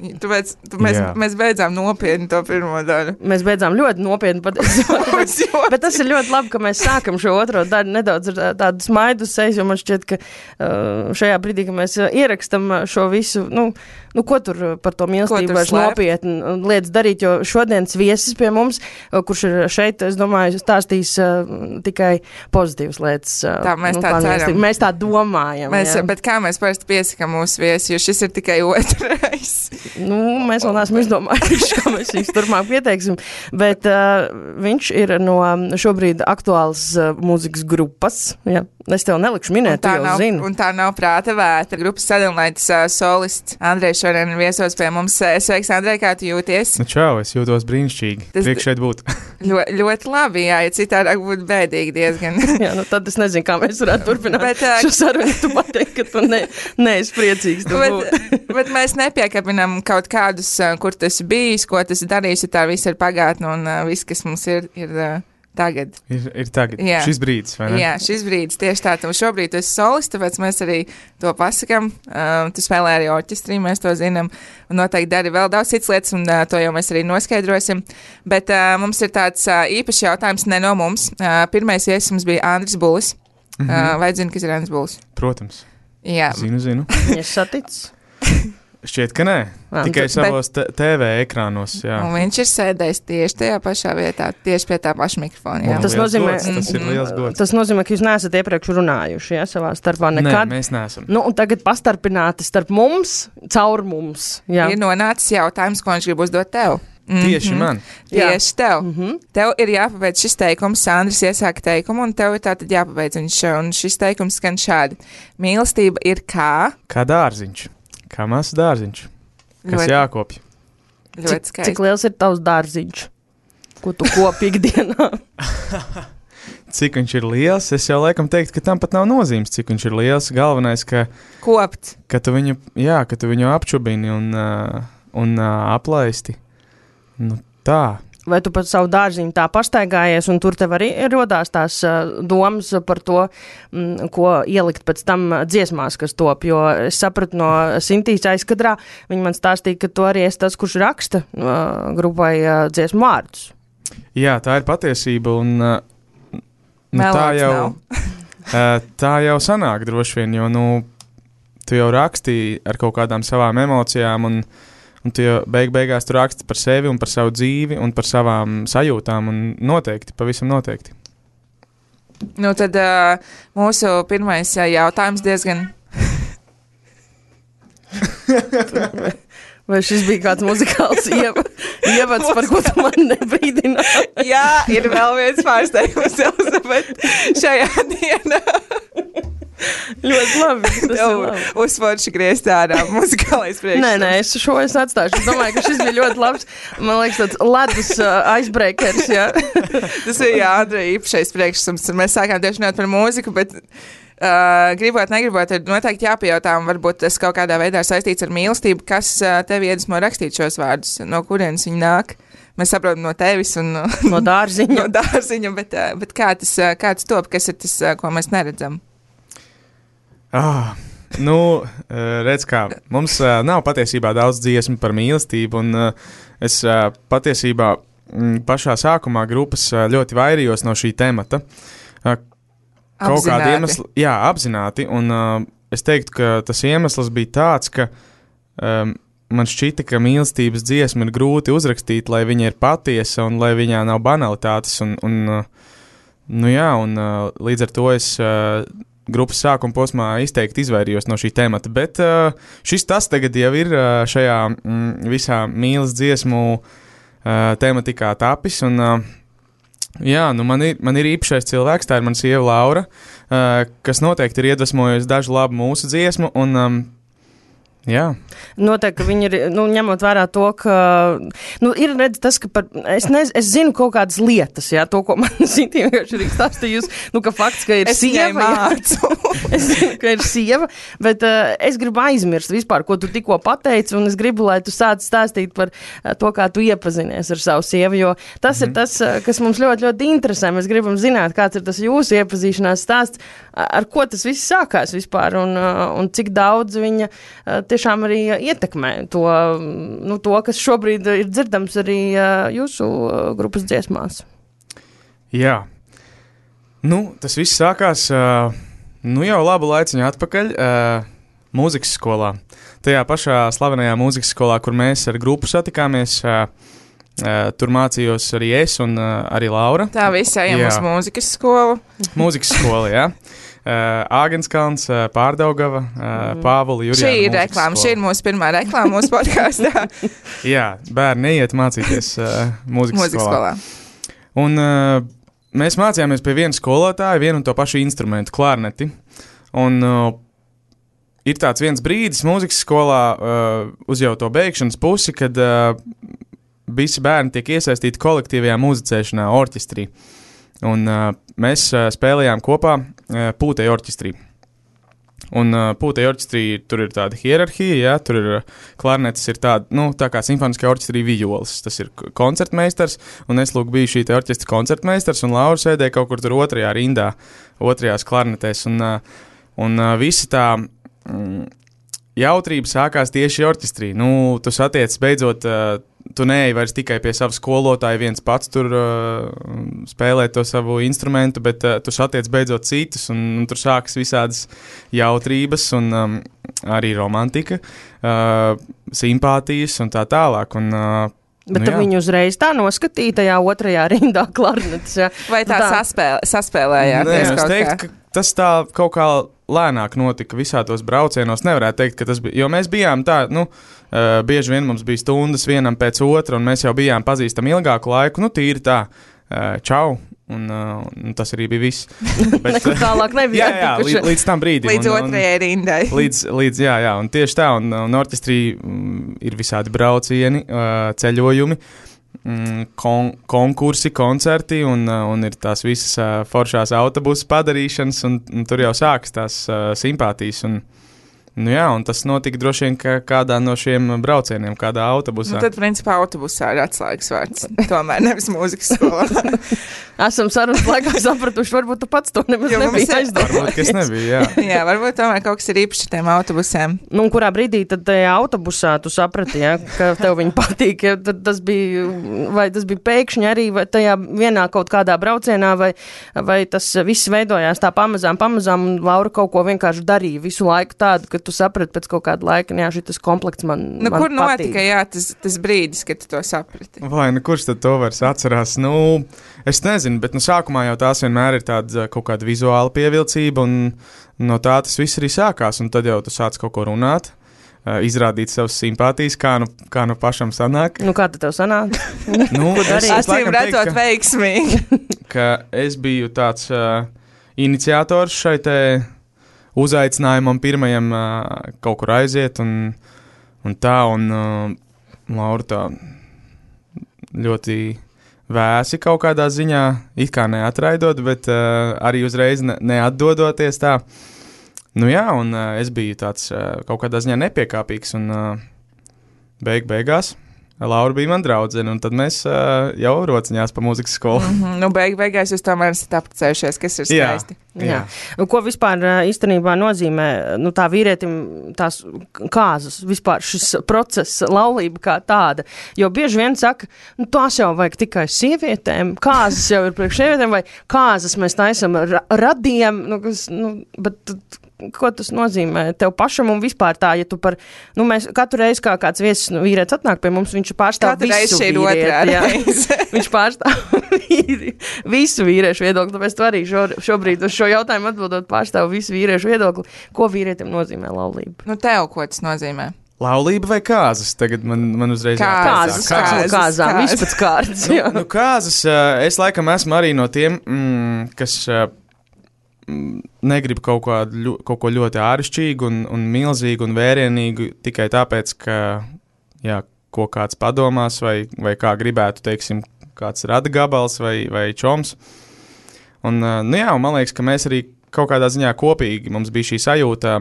Tāpēc tu mēs, mēs beidzām nopietni to pirmo daļu. Mēs beidzām ļoti nopietni, bet, bet, bet tas ir ļoti labi, ka mēs sākam šo otro daļu nedaudz ar tādu smaidu sejas, jo man šķiet, ka uh, šajā brīdī, ka mēs ierakstam šo visu, nu, nu ko tur par to mīlestību vairs nopietni lietas darīt, jo šodienas viesis pie mums, kurš ir šeit, es domāju, stāstīs uh, tikai pozitīvas lietas. Uh, tā, mēs nu, tā ceram. Mēs tā domājam. Mēs, bet kā mēs parasti piesakam mūsu viesi, jo šis ir tikai otrais. Nu, mēs vēl neesam izdomājuši, kā mēs viņus turpmāk pieteiksim, bet uh, viņš ir no šobrīd aktuāls uh, mūzikas grupas. Ja? Es tev nelikšu minēt, tu jau nav, zini. Un tā nav prāta vētra. Grupas sadalītas uh, solists Andrejs šodien viesos pie mums. Sveiks, Andrej, kā tu jūties? Nu čau, es jūtos brīnišķīgi. Tas priekš šeit būt. ļo, ļoti labi, jā, ja citādāk būtu bēdīgi diezgan. Jā, nu tad es nezinu, kā mēs varētu turpināt bet, uh, šo sarunu. Tu pateik, ka tu ne, neesi priecīgs. Tu bet, bet mēs nepiekabinam kaut kādus, uh, kur tu esi bijis, ko tu esi darījis, ja tā viss ir pagātne un uh, viss, kas mums ir, ir uh, tagad. Ir, ir tagad. Jā. Šis brīdis, vai ne? Jā, šis brīdis tieši tā. Tu šobrīd tu esi solists, tāpēc mēs arī to pasakam. Uh, tu spēlē arī orķestrī, mēs to zinām. Un noteikti dari vēl daudz citas lietas, un uh, to jau mēs arī noskaidrosim. Bet uh, mums ir tāds uh, īpašs jautājums ne no mums. Uh, pirmais viesis mums bija Andris Bulis. Mm -hmm. uh, vai zini, kas ir Andris Bulis? Protams. Jā. Zinu, zinu. Viņš saticis? Šķiet, ka nē. Vā, tikai bet, savos t v ekrānos, jā. Un viņš ir sēdējis tieši tajā pašā vietā, tieši pie tā paša mikrofona. Jā. Tas nozīmē, gods, tas ir liels gods. Tas nozīmē, ka jūs neesat iepriekš runājuši, ja, savā starpā nekad. Nē, mēs neesam. Nu, un tagad pastarpināti starp mums, caur mums. Jā. Ir nonācis jautājums, ko viņš grib uzdot tev. Mm-hmm. Tieši man. Tieši tev. Mm-hmm. Tev ir jāpabeidz šis teikums, Sandris iesāka teikumu, un tev ir tātad jāpabeidz viņš, un šis teikums skan šādi. Mīlestība ir kā? Kā dārziņš. Kā mazs dārziņš. Kas ļoti, jākopj. Ļoti skaisti. Cik liels ir tavs dārziņš? Ko tu kopi ikdienā? Cik viņš ir liels? Es jau laikam teiktu, ka tam pat nav nozīmes, cik viņš ir liels. Galvenais, ka... Kopt. Ka tu viņu, jā, ka tu viņu apčubini un, uh, un uh, aplaisti. Nu tā. vai tu pat savu dārziņu tā pastaigājies, un tur tev arī rodās tās uh, domas par to, mm, ko ielikt pēc tam dziesmās, kas top, jo es sapratu no Sintīs aizkadrā, viņa man stāstīja, ka tu arī esi tas, kurš raksta uh, grupai uh, dziesmu vārdus. Jā, tā ir patiesība, un uh, nu, tā, jau, uh, tā jau sanāk droši vien, jo nu, tu jau rakstīji ar kaut kādām savām emocijām, un Un tu jau beig beigās tu raksti par sevi un par savu dzīvi un par savām sajūtām un noteikti, pavisam noteikti. Nu tad uh, mūsu pirmais uh, jautājums diezgan... Vai šis bija kāds muzikāls ieva, ievads, par ko tu man nebrīdināji? Jā, ir vēl viens pārsteigums, Elizabete, šajā dienā. Ļoti labi. Tas ir labi. Uzforši griezt ārā muzikālais priekšstats. Nē, nē, es šo es atstāšu. Es domāju, ka šis bija ļoti labs. Man liekas, tāds ledus uh, icebreakers, jā. Tas bija, jā, Andrei, īpašais priekšstats. Mēs sākām tieši runāt par mūziku, bet uh, gribot, negribot, ir noteikti jāpajautā, un varbūt tas kaut kādā veidā saistīts ar mīlestību, kas uh, tev iedvesmo rakstīt šos vārdus, no kurienes viņi nāk. Mēs saprotam no tevis un no dārziņa. no dārziņa, bet, uh, bet kā tas, uh, kā tas top, kas ir tas, uh, ko mēs neredzam? Ah, nu, redz kā, mums uh, nav patiesībā daudz dziesmu par mīlestību, un uh, es uh, patiesībā m, pašā sākumā grupas uh, ļoti vairījos no šī temata. Uh, kaut kādi iemesli, jā, apzināti, un uh, es teiktu, ka tas iemesls bija tāds, ka um, man šķita, ka mīlestības dziesma ir grūti uzrakstīt, lai viņa ir patiesa un lai viņā nav banalitātes, un, un uh, nu jā, un uh, līdz ar to es... Uh, grupas sākuma posmā izteikti izvairījos no šī temata, bet uh, šis tas tagad jau ir uh, šajā mm, visā mīlas dziesmu uh, tematikā tapis, un uh, jā, nu man ir, man ir īpašais cilvēks, tā ir mana sieva Laura, uh, kas noteikti ir iedvesmojusi dažu labu mūsu dziesmu, un um, jā. Noteikti, ka viņi ir, nu, ņemot vērā to, ka, nu, ir redz tas, ka par, es, nez, es zinu kaut kādas lietas, jā, to, ko man Sintī vienkārši ir stāstījusi, nu, ka fakts, ka ir es sieva, es zinu, ka ir sieva, bet uh, es gribu aizmirst vispār, ko tu tikko pateici, un es gribu, lai tu sāc stāstīt par uh, to, kā tu iepazinies ar savu sievu, jo tas mm-hmm. ir tas, uh, kas mums ļoti, ļoti interesē. Mēs gribam zināt, kāds ir tas jūsu iepazīšanās stāsts, ar ko tas viss sākās vispār, un, uh, un cik daudz viņa uh, tiešām arī ietekmē to, nu, to, kas šobrīd ir dzirdams arī uh, jūsu uh, grupas dziesmās. Jā. Nu, tas viss sākās uh, nu jau labu laiciņu atpakaļ uh, mūzikas skolā. Tajā pašā slavenajā mūzikas skolā, kur mēs ar grupu satikāmies, uh, uh, tur mācījos arī es un uh, arī Laura. Tā visi ejam uz mūzikas skolu. Mūzikas skola, jā. Uh, Āgenskalns, uh, Pārdaugava, uh, Pāvuli, Jurijāna. Šī ir reklāma, šī ir mūsu pirmā reklāma mūsu podkāstā. Jā, bērni neiet mācīties uh, mūzikas, mūzikas skolā. skolā. Un uh, mēs mācījāmies pie viena skolotāja, vienu un to pašu instrumentu, klarneti. Un uh, ir tāds viens brīdis mūzikas skolā uh, uz jau to beigšanas pusi, kad uh, visi bērni tiek iesaistīti kolektīvajā muzicēšanā, orķestrī. Un uh, mēs uh, spēlējām kopā uh, Pūtei orķestrī. Un uh, Pūtei orķestrī tur ir tāda hierarhija, jā, tur ir uh, klarnetes ir tāda, nu, tā kā simfoniskajā orķestrī vijoles. Tas ir koncertmeistars, un es lūk biju šī te orķestra koncertmeistars, un Laura sēdēja kaut kur tur otrajā rindā, otrajās klarnetēs, un, uh, un uh, visa tā mm, jautrība sākās tieši orķestrī. Nu, tu satiec beidzot... Uh, Tu neej vairs tikai pie sava skolotāja, viens pats tur uh, spēlē to savu instrumentu, bet uh, tu satiec beidzot citus, un, un tur sākas visādas jautrības un um, arī romantika, uh, simpātijas un tā tālāk. Un, uh, Bet nu, tad viņi uzreiz tā noskatīja tajā otrajā rindā klarnetes. Ja? Vai tā, tā. Saspēlē, saspēlējāties kaut kā? Es teiktu, ka tas tā kaut kā lēnāk notika visā tos braucienos. Nevarētu teikt, ka tas bija, jo mēs bijām tā, nu, uh, bieži vien mums bija stundas vienam pēc otra, un mēs jau bijām pazīstami ilgāku laiku, nu, tīri tā, uh, čau, un, uh, un tas arī bija viss. Bet, Nekur tālāk nebija. Jā, jā, līdz, līdz tam brīdim. Līdz un, otrajai rindai. Līdz, līdz, jā, jā, un tieši tā, un, un orķestrī mm, ir visādi braucieni, uh, ceļojumi, mm, kon, konkursi, koncerti, un, uh, un ir tās visas uh, foršās autobusu padarīšanas, un, un tur jau sākas tās uh, simpātijas, un Nu jā, un tas notika droši vien kā kādā no šiem braucieniem, kādā autobusā. Nu, tad, principā, autobusā ir atslēgas vārds. Tomēr nevis mūzikas skolā. Esam sarunas laikā sapratuši, varbūt tu pats to nemaz nebija aizdomājies. Varbūt, kas nebija, jā. Jā, varbūt tomēr kaut kas ir īpaši ar tiem autobusiem. Nu, un kurā brīdī tad tajā autobusā tu saprati, ja, ka tev viņi patīk, ja, tad tas bija, vai tas bija pēkšņi arī, vai tajā vienā kaut kādā braucienā, vai, vai tas viss veidojās tā pamazām, pamazām, un Laura kaut ko vienkārši darīja visu laiku tādu, ka tu saprati pēc kaut kāda laika, jā, šitas komplekts man, nu, man kur patīk. Notika, jā, tas, tas brīdis, kad tu to saprati? Vai, nu kurš tad to vairs atcerās? Nu, es nezinu, bet nu sākumā jau tās vienmēr ir tāda kaut kāda vizuāla pievilcība, un no tā tas viss arī sākās, un tad jau tu sāc kaut ko runāt, izrādīt savas simpātijas, kā nu, kā nu pašam sanāk. Nu, kā tad tev sanāk? Nu, es Acīm redzot veiksmīgi. Ka es biju tāds uh, iniciators šai te uzaicinājumam pirmajam uh, kaut kur aiziet, un, un tā, un uh, Laura tā ļoti vēsi kaut kādā ziņā, it kā neatraidot, bet uh, arī uzreiz ne, neatdodoties tā. Nu jā, un uh, es biju tāds uh, kaut kādā ziņā nepiekāpīgs, un uh, beig beigās Laura bija man draudzene, un tad mēs uh, jau rociņās pa mūzikas skolu. Mm -hmm. Nu, beig beigās jūs tomēr esat apprecējušies, kas ir skaisti. Jā. Jā. Jā. Ko vispār īstenībā nozīmē, nu tā vīrietim tās kāzas, vispār šis process, laulība kā tāda, jo bieži vien saka, nu tās jau vajag tikai sievietēm, kāzas jau ir priekš sievietēm, vai kāzas mēs taisam ra radiem, nu, kas, nu, bet ko tas nozīmē tev pašam un vispār tā, ja tu par, nu mēs katru reizi kā kāds viesis nu, vīrietis atnāk pie mums, viņš pārstāv katru visu vīrieti. Viņš pārstāv visu vīriešu viedokli, tāpēc tu arī šo, šobrīd uz šo jautājumu atbildot pārstāv visu vīriešu viedokli. Ko vīrietim nozīmē laulība? Nu tev, ko tas nozīmē? Laulība vai kāzas? Tagad man, man uzreiz kāzas, kāzas, kāzām, viss pēc kārtas. Nu, nu kāzas, es laikam esmu arī no tiem, mm, kas negrib kaut, kādu, kaut ko ļoti āršķirīgu un, un milzīgu un vērienīgu tikai tāpēc, ka jā, ko kāds padomās vai, vai kā gribētu, teiksim, kāds rada gabals vai, vai čoms. Un, nu jā, un man liekas, ka mēs arī kaut kādā ziņā kopīgi mums bija šī sajūta,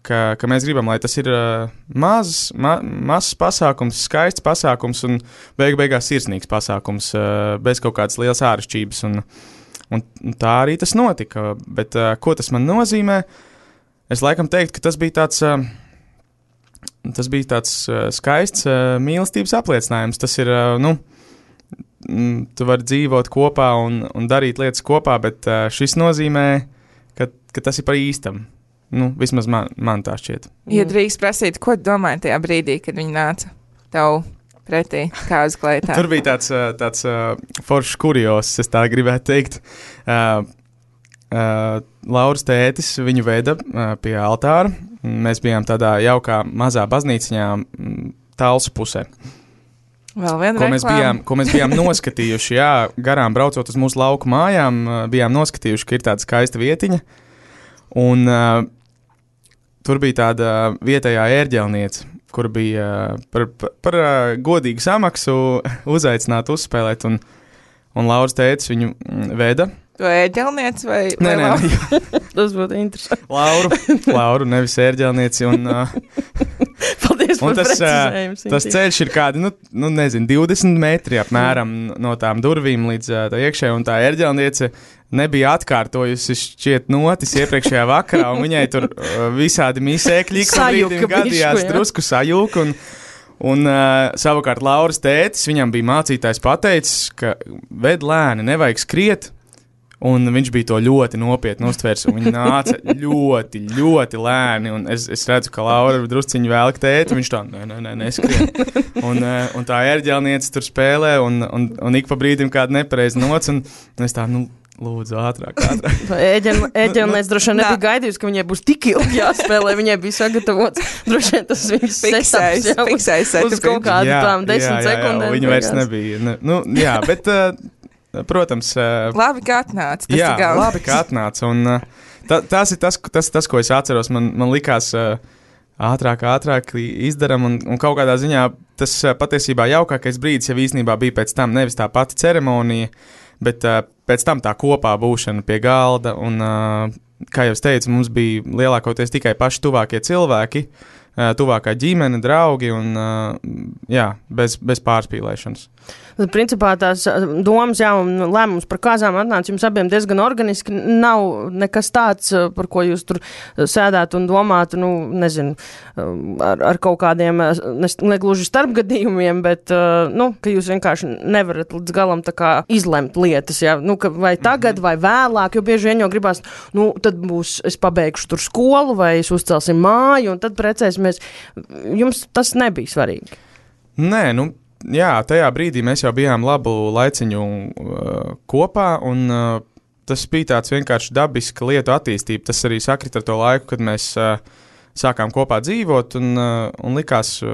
ka, ka mēs gribam, lai tas ir uh, mazs, ma, mazs pasākums, skaists pasākums un beig beigās sirsnīgs pasākums, uh, bez kaut kādas lielas āršķirības. Un, un tā arī tas notika. Bet uh, ko tas man nozīmē? Es laikam teiktu, ka tas bija tāds, uh, tas bija tāds uh, skaists uh, mīlestības apliecinājums. Tas ir, uh, nu, mm, tu vari dzīvot kopā un, un darīt lietas kopā, bet uh, šis nozīmē, ka, ka tas ir par īstam. Nu, vismaz man, man tā šķiet. Ja drīkst prasīt, ko tu domāji tajā brīdī, kad viņi nāca tev pretī kāzu kleitā? Tur bija tāds, tāds uh, foršs kurios, es tā gribētu teikt. Uh, uh, Lauras tētis viņu veda uh, pie altāra. Mēs bijām tādā jaukā mazā baznīciņā Talsu pusē. Vēl viena ko mēs, bijām, ko mēs bijām noskatījuši, jā, garām braucot uz mūsu lauku mājām, uh, bijām noskatījuši, ka ir tāda skaista vietiņa. Un uh, tur bija tāda vietējā ērģelniece, kur bija uh, par, par, par uh, godīgu samaksu uzaicināt uzspēlēt, un, un Lauras tētis viņu veda. To ērģelnieci vai? Nē, nē, nē. Tas būtu interesanti. Lauru, Lauru, nevis ērģelnieci, un... Uh, Paldies un par tas, precizējumu. uh, tas ceļš ir kādi, nu, nu nezinu, divdesmit metri apmēram no tām durvīm līdz uh, tā iekšē, un tā ērģelniece nebija atkārtojusi šķiet notis iepriekšējā vakarā, un viņai tur uh, visādi misēkļi, ka brīdim gadījās bišku, drusku sajūk, un, un uh, savukārt Lauras tētis, viņam bija mācītājs pateicis, ka ved lēni, nevajag skriet, un viņš bija to ļoti nopietni uztvērs, un viņi nāca ļoti, ļoti lēni, un es, es redzu, ka Laura drusciņi velk tēti, un viņš tā, nē, nē, nē, neskrien. Un, uh, un tā ērģelniece tur spēlē, un, un, un ik pa brīdim kāda nepareiza nots, un, un es tā, nu, lūdzu, ātrāk, ātrāk. Ēģelniece droši vien nebija gaidījusi, ka viņai būs tik ilgi jāspēlē, viņai bija sagatavots, droši vien tas viņas fiksējis, fiksējis uz kaut kādu tām desmit sekundēm. Viņa vairs nebija, ne, nu, jā, bet... Uh, Protams, uh, labi, ka atnāca. Jā, labi, ka atnāca. Un, uh, ta, tas ir tas, tas, tas, ko es atceros. Man, man likās uh, ātrāk, ātrāk izdaram, un, un kaut kādā ziņā tas uh, patiesībā jaukākais brīdis jau īstenībā bija pēc tam nevis tā pati ceremonija, bet uh, pēc tam tā kopā būšana pie galda un, uh, kā jau es teicu, mums bija lielākoties tikai paši tuvākie cilvēki, tuvākā ģimene, draugi un jā, bez, bez pārspīlēšanas. Tad, principā, tās domas, jā, un lēmums par kāzām atnāca jums abiem diezgan organiski. Nav nekas tāds, par ko jūs tur sēdētu un domātu, nu, nezinu, ar, ar kaut kādiem, ne, negluži starpgadījumiem, bet, nu, ka jūs vienkārši nevarat līdz galam tā kā izlemt lietas, jā, nu, ka vai tagad, vai vēlāk, jo bieži vien jau gribās, nu, tad būs, es pabeigšu tur skolu, vai es uzcelsim māju, un tad precēsimies. Jums tas nebija svarīgi? Nē, nu, jā, tajā brīdī mēs jau bijām labu laiciņu uh, kopā, un uh, tas bija tāds vienkārši dabiska lietu attīstība. Tas arī sakrit ar to laiku, kad mēs uh, sākām kopā dzīvot, un, uh, un likās uh,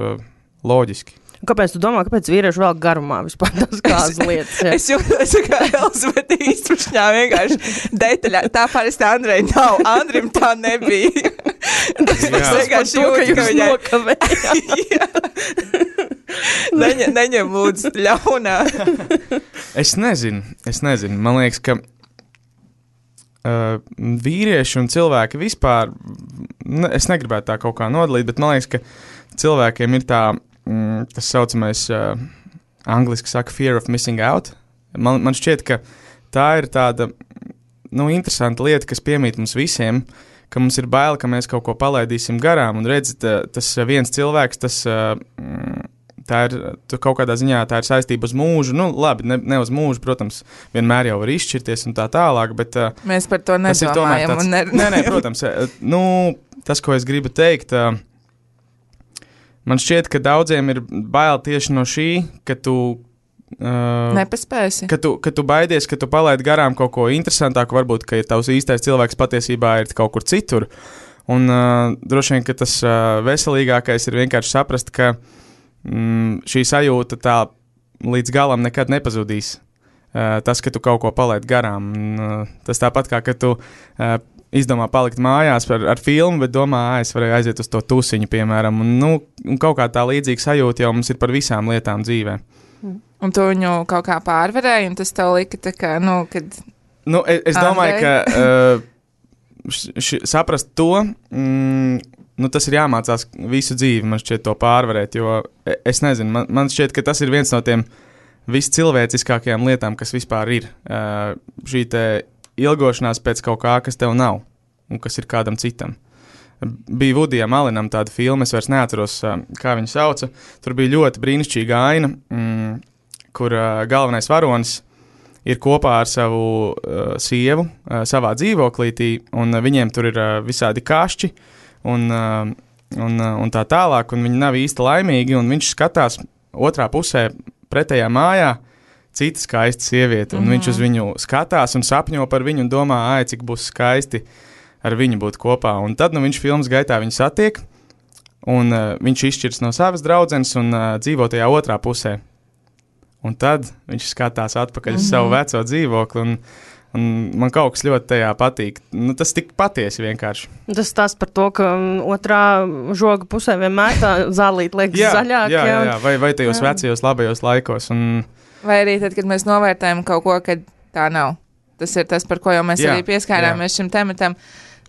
loģiski. Kāpēc tu domā, kāpēc vīrieši vēl garumā vispār tās kādas lietas? Jā? Es jūtos, ka Elizabete īstrušņā vienkārši detaļā. Tā parasti Andrei nav. Andrim tā nebija. Tas vienkārši jūt, ka viņai nokavējāt. Neņem, neņem lūdzu ļaunā. Es nezinu, es nezinu. Man liekas, ka uh, vīrieši un cilvēki vispār, ne, es negribētu tā kaut kā nodalīt, bet man liekas, ka cilvēkiem ir tā, mm, tas saucamais, uh, angliski saka, fear of missing out. Man, man šķiet, ka tā ir tāda, nu, interesanta lieta, kas piemīt mums visiem, ka mums ir bail, ka mēs kaut ko palaidīsim garām, un redzi, tas viens cilvēks, tas... Uh, Tā ir kaut kādā ziņā tā ir saistība uz mūžu. Nu, labi, ne, ne uz mūžu, protams, vienmēr jau var izšķirties un tā tālāk, bet... Mēs par to nedomājam tāds, un nerunājam. Nē, nē, protams. Nu, tas, ko es gribu teikt, man šķiet, ka daudziem ir bail tieši no šī, ka tu... Uh, Nepaspēsi. Ka tu, ka tu baidies, ka tu palaidi garām kaut ko interesantāku, varbūt, ka tavs īstais cilvēks patiesībā ir kaut kur citur. Un uh, droši vien, ka tas uh, veselīgākais ir vienkārši saprast, ka Mm, šī sajūta tā līdz galam nekad nepazudīs. Uh, tas, ka tu kaut ko palaid garām. Uh, tas tāpat kā, ka tu uh, izdomā palikt mājās ar, ar filmu, bet domā, ā, es varēju aiziet uz to tusiņu, piemēram. Un, nu, un kaut kā tā līdzīga sajūta jau mums ir par visām lietām dzīvē. Un tu viņu kaut kā pārvarēji, un tas tev lika tā kā, nu, kad... Nu, es, es domāju, ka uh, š, š, saprast to... Mm, Nu, tas ir jāmācās visu dzīvi, man šķiet, to pārvarēt, jo es nezinu, man, man šķiet, ka tas ir viens no tiem viscilvēciskākajām lietām, kas vispār ir. Uh, šī te ilgošanās pēc kaut kā, kas tev nav un kas ir kādam citam. Bija Vudijam Alinam tāda filma, es vairs neatceros, uh, kā viņu sauca. Tur bija ļoti brīnišķīga aina, mm, kur uh, galvenais varonis ir kopā ar savu uh, sievu uh, savā dzīvoklītī, un uh, viņiem tur ir uh, visādi kašķi, Un, un, un tā tālāk, un viņi nav īsti laimīgi, un viņš skatās otrā pusē pretējā mājā cita skaista sieviete, un mm-hmm. viņš uz viņu skatās un sapņo par viņu un domā, ai, cik būs skaisti ar viņu būt kopā, un tad, nu, viņš filmas gaitā viņu satiek, un uh, viņš izšķirs no savas draudzenes un uh, dzīvo tajā otrā pusē, un tad viņš skatās atpakaļ mm-hmm. uz savu veco dzīvokli, un Un man kaut kas ļoti tajā patīk. Nu, tas tik patiesi vienkārši. Tas tās par to, ka otrā žoga pusē vienmēr tā zālīt liekas jā, zaļāk. Jā, jā, jā. Vai, vai tajos jā. vecajos labajos laikos. Un... Vai arī tad, kad mēs novērtējam kaut ko, kad tā nav. Tas ir tas, par ko jau mēs jā, arī pieskārāmies jā. šim tematam.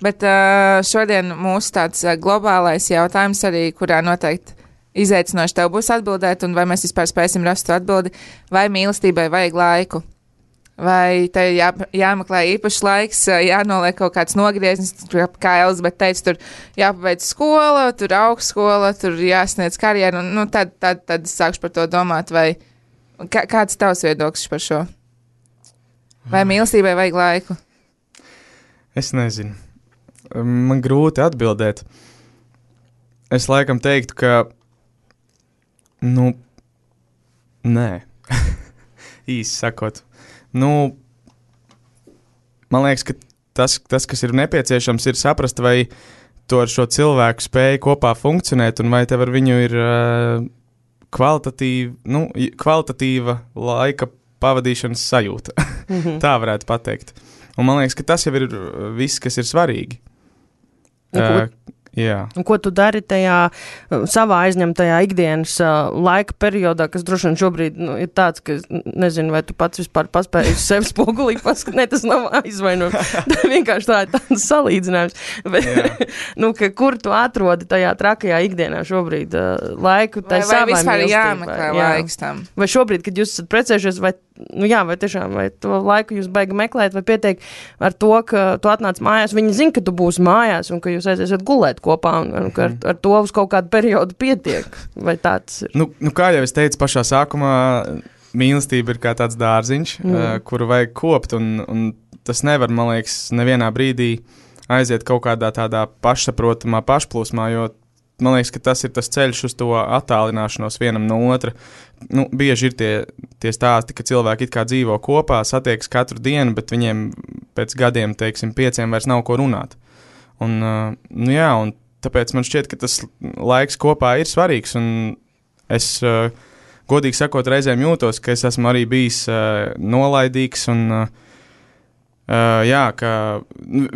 Bet uh, šodien mūsu tāds uh, globālais jautājums arī, kurā noteikti izaicinoši tev būs atbildēt, un vai mēs vispār spēsim rast atbildi, vai mīlestībai vajag laiku. Vai te jā, jāmeklē īpašs laiks, jānoliek kaut kāds nogrieznis, kā Elizabete teica, tur jāpabeidz skola, tur augstskola, tur jāsniedz karjeru, un nu, tad, tad, tad es sākšu par to domāt, vai kā, kāds tavs viedoklis par šo? Vai mīlestībai vajag laiku? Es nezinu. Man grūti atbildēt. Es laikam teiktu, ka, nu, nē, īsi sakot. Nu, man liekas, ka tas, tas, kas ir nepieciešams, ir saprast, vai tu ar šo cilvēku spēj kopā funkcionēt, un vai tev ar viņu ir uh, kvalitatīva, nu, kvalitatīva laika pavadīšanas sajūta. Mm-hmm. Tā varētu pateikt. Un man liekas, ka tas jau ir viss, kas ir svarīgi. Uh, Jā. Un ko tu dari tajā uh, savā aizņemtajā ikdienas uh, laika periodā, kas droši vien šobrīd nu, ir tāds, ka nezinu, vai tu pats vispār paspēji uz sevi spogulī paskat, ne, tas nav aizvainojums. Tā vienkārši tā ir tāds salīdzinājums. Bet, nu, ka, kur tu atrodi tajā trakajā ikdienā šobrīd uh, laiku, tai savai Vai vispār mīlestībai? jāmeklē Jā. laiks tam? Vai šobrīd, kad jūs esat precējušies, vai, nu jā, vai tiešām, vai to laiku jūs baigi meklēt, vai pietiek ar to, ka tu atnāc mājās, viņi zina, ka tu būsi mājās un ka jūs aiziesiet gulēt kopā un, un ka ar, ar to uz kaut kādu periodu pietiek, vai tāds ir? Nu, nu kā jau es teicu pašā sākumā, mīlestība ir kā tāds dārziņš, mm. uh, kuru vajag kopt, un, un tas nevar, man liekas, nevienā brīdī aiziet kaut kādā tādā pašsaprotamā pašplūsmā, jo man liekas, ka tas ir tas ceļš uz to attālināšanos vienam no otra. Nu, bieži ir tie, tie stāsti, ka cilvēki it kā dzīvo kopā, satiekas katru dienu, bet viņiem pēc gadiem, teiksim, pieciem vairs nav ko runāt. Un, uh, nu jā, un tāpēc man šķiet, ka tas laiks kopā ir svarīgs, un es, uh, godīgi sakot, reizēm jūtos, ka es esmu arī bijis uh, nolaidīgs, un uh, uh, jā, ka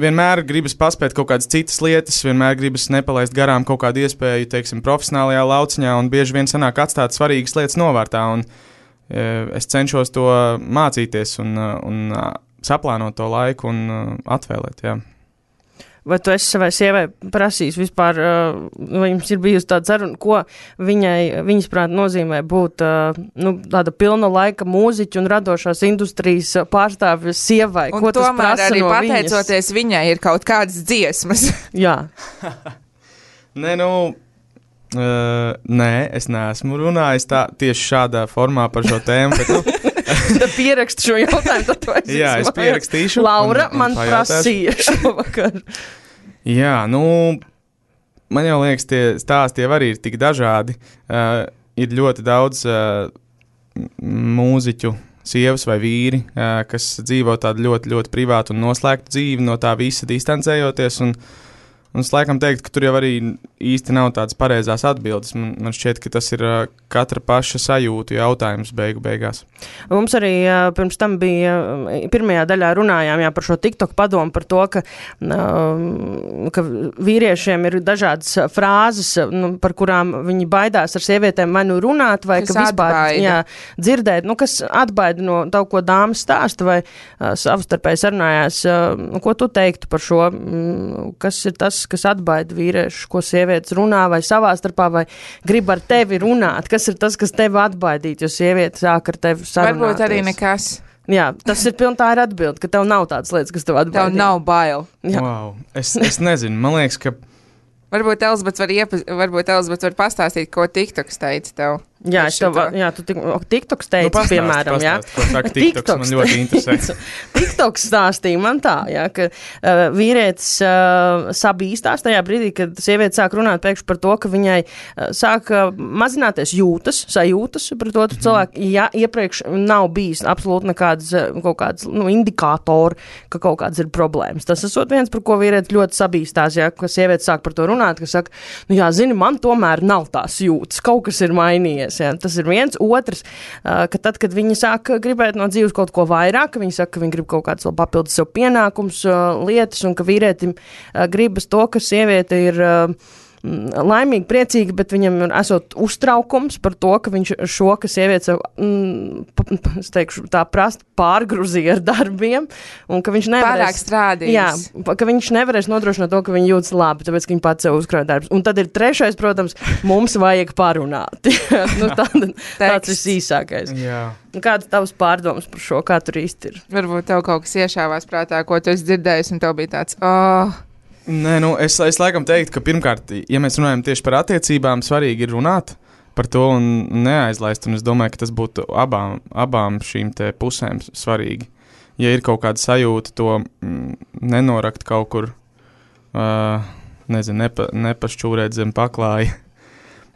vienmēr gribas paspēt kaut kādas citas lietas, vienmēr gribas nepalaist garām kaut kādu iespēju, teiksim, profesionālajā lauciņā, un bieži vien sanāk atstāt svarīgas lietas novārtā, un uh, es cenšos to mācīties un, uh, un uh, saplānot to laiku un uh, atvēlēt, jā. Vai tu esi savai sievai prasījis vispār, vai jums ir bijusi tāda saruna, ko viņai, viņas prāt nozīmē būt nu, tāda pilna laika mūziķa un radošās industrijas pārstāvja sievai? Un ko tas tomēr prasa arī no pateicoties viņas? Viņai ir kaut kādas dziesmas. Jā. Nē, nu, uh, nē, es neesmu runājis tā, tieši šādā formā par šo tēmu, bet, nu, Tad pierakstu šo jautājumu, tad tu esi. Jā, es pierakstīšu. Laura un, un man pajautāšu. prasīja šovakar. Jā, nu, man jau liekas, tie stāsti jau arī ir tik dažādi. Uh, ir ļoti daudz uh, mūziķu, sievas vai vīri, uh, kas dzīvo tādu ļoti, ļoti privātu un noslēgtu dzīvi, no tā visa distancējoties, un Un es laikam teiktu, ka tur jau arī īsti nav tādas pareizās atbildes. Man, man šķiet, ka tas ir uh, katra paša sajūtu jautājums beigu beigās. Mums arī uh, pirms tam bija, uh, pirmajā daļā runājām jā, par šo TikTok padomu, par to, ka, uh, ka vīriešiem ir dažādas frāzes, nu, par kurām viņi baidās ar sievietēm vai nu runāt, vai kas ka vispār jā, dzirdēt, nu, kas atbaida no kaut ko dāmas stāsta, vai uh, savstarpēji sarunājās. Uh, ko tu teiktu par šo? Mm, kas ir tas, kas atbaida vīriešu, ko sievietes runā vai savā starpā, vai grib ar tevi runāt? Kas ir tas, kas tevi atbaidīt, jo sieviete sāk ar tevi sarunāties? Varbūt arī nekas. Jā, tas ir piln tā ir atbildi, ka tev nav tādas lietas, kas tev atbaidīt. Tev nav bail. Jā. Wow. Es, es nezinu, man liekas, ka Varbūt Elizabets var, iepa, varbūt Elizabets var pastāstīt, ko TikToks teica tev. Jā, es tev, jā, tu tik, TikToks teica, nu, pastāst, piemēram, pastāst, jā. Ko saka TikToks, man ļoti interesē. TikToks stāstīja man tā, jā, ka uh, vīrietis uh, sabīstās tajā brīdī, kad sieviete sāk runāt pēkšņi par to, ka viņai uh, sāk uh, mazināties jūtas, sajūtas pret otru mm. cilvēku, ja iepriekš nav bijis absolūti nekādas uh, kaut kādas, nu, indikātori, ka kaut kādas ir problēmas. Tas esot viens, par ko vīrietis ļoti sabīstās, jā, ka sieviete sāk par to runāt, ka saka, nu jā, zini, man tomēr nav tās jūtas, kaut kas ir mainījies. Jā. Tas ir viens. Otrs, ka tad, kad viņi sāk gribēt no dzīves kaut ko vairāk, ka viņi saka, ka viņi grib kaut kāds vēl papildus sev pienākums, lietas, un ka vīrietim gribas to, ka sieviete ir laimīgi, priecīgi, bet viņam ir esot uztraukums par to, ka viņš šo, ka sieviete sev, mm, es teikšu, tā prast pārgruzīja ar darbiem, un ka viņš nevarēs... Pārāk strādījis. Jā, ka viņš nevarēs nodrošināt to, ka viņi jūtas labi, tāpēc, ka viņi pats sev uzkrāja darbus. Un tad ir trešais, protams, mums vajag parunāt. nu, tā, tāds ir īsākais. Jā. Kādas tavas pārdomas par šo, kā tur īsti ir? Varbūt tev kaut kas iešāvās prātā, ko tu esi dzirdējis, un tev bija tāds, oh... Nē, nu, es, es laikam teiktu, ka pirmkārt, ja mēs runājam tieši par attiecībām, svarīgi ir runāt par to un neaizlaist, un es domāju, ka tas būtu abām, abām šīm te pusēm svarīgi. Ja ir kaut kāda sajūta, to mm, nenorakt kaut kur, uh, nezinu, nepa, nepašķūrēt zem paklāja.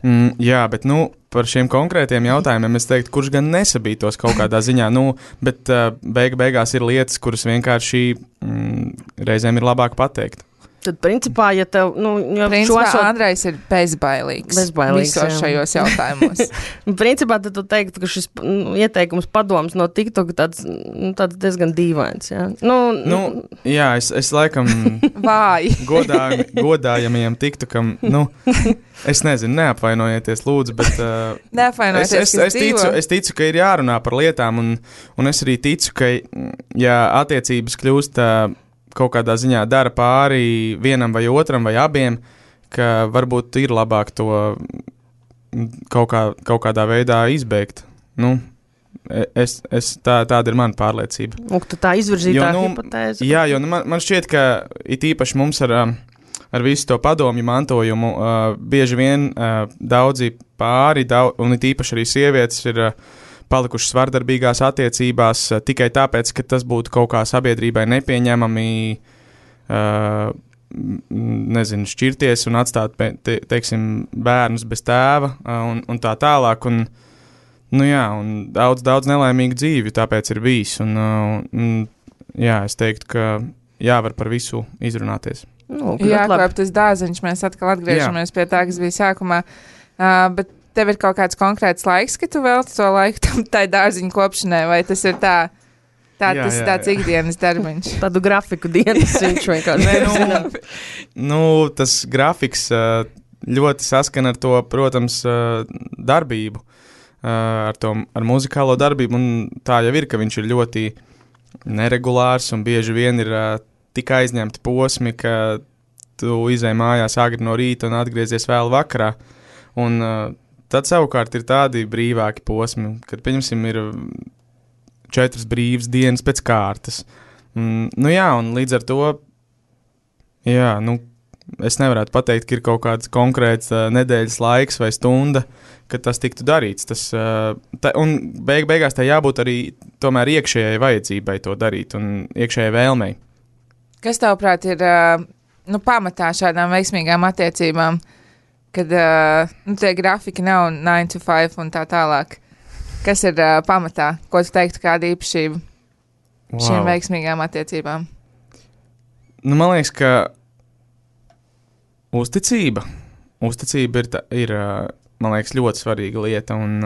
Mm, jā, bet, nu, par šiem konkrētiem jautājumiem es teiktu, kurš gan nesabītos kaut kādā ziņā, nu, bet uh, beig, beigās ir lietas, kuras vienkārši mm, reizēm ir labāk pateikt. Tad, principā, ja tev, nu, jo Principā esot... Andrejs ir bezbailīgs. Bezbailīgs, visos jā. šajos jautājumos. Principā, tad tu teiktu, ka šis nu, ieteikums padoms no TikTok tāds, nu, tāds diezgan dīvains, jā. Nu, Nu, jā, es, es laikam Vāji. godājam, godājamajam TikTokam, nu, es nezinu, neapvainojieties, lūdzu, bet uh, es, Neapvainojieties, es, kas es, ticu, dzīvo. es ticu, ka ir jārunā par lietām, un, un es arī ticu, ka, ja attiecības kļūst uh, kaut kādā ziņā dara pāri vienam vai otram vai abiem, ka varbūt ir labāk to kaut, kā, kaut kādā veidā izbeigt. Nu, es, es, tā, tāda ir mana pārliecība. Un tu tā izvirzītā Jo, nu, hipotēze. Jā, jo nu, man, man šķiet, ka it īpaši mums ar, ar visu to padomju mantojumu uh, bieži vien uh, daudzi pāri, daudz, un it īpaši arī sievietes ir uh, palikušas vardarbīgās attiecībās uh, tikai tāpēc, ka tas būtu kaut kā sabiedrībai nepieņemami, uh, nezinu, šķirties un atstāt, te, teiksim, bērnus bez tēva uh, un, un tā tālāk. Un, nu jā, un daudz, daudz nelaimīgu dzīvi tāpēc ir bijis. Un, uh, un, jā, es teiktu, ka jāvar par visu izrunāties. Nu, Jā, labi. kā tas dāziņš, mēs atkal atgriežamies Jā. pie tā, kas bija sākumā. Uh, bet tev ir kaut kāds konkrēts laiks, ka tu velti to laiku tam tai dārziņu kopšanai, vai tas ir tā, tā Jā, tas jā, ir tāds jā. ikdienas darbiņš? Tādu grafiku dienas viņš vienkārši. Nē, nu, nu, tas grafiks uh, ļoti saskana ar to, protams, uh, darbību, uh, ar, to, ar muzikālo darbību, un tā jau ir, ka viņš ir ļoti neregulārs un bieži vien ir uh, tik aizņemti posmi, ka tu izej mājās agri no rīta un atgriezies vēl vakarā. Un uh, tad savukārt ir tādi brīvāki posmi, kad, pieņemsim, ir četras brīvas dienas pēc kārtas. Mm, nu jā, un līdz ar to, jā, nu, es nevarētu pateikt, ka ir kaut kāds konkrēts uh, nedēļas laiks vai stunda, kad tas tiktu darīts. Tas, uh, ta, un beig, beigās tā jābūt arī tomēr iekšējai vajadzībai to darīt un iekšējai vēlmei. Kas tavuprāt ir uh, nu, pamatā šādām veiksmīgām attiecībām, kad uh, nu, tie grafiki nav nine to five un tā tālāk? Kas ir uh, pamatā? Ko tu teiktu kāda īpašība wow. šīm veiksmīgām attiecībām? Nu, man liekas, ka uzticība. Uzticība ir, tā, ir man liekas, ļoti svarīga lieta. Un,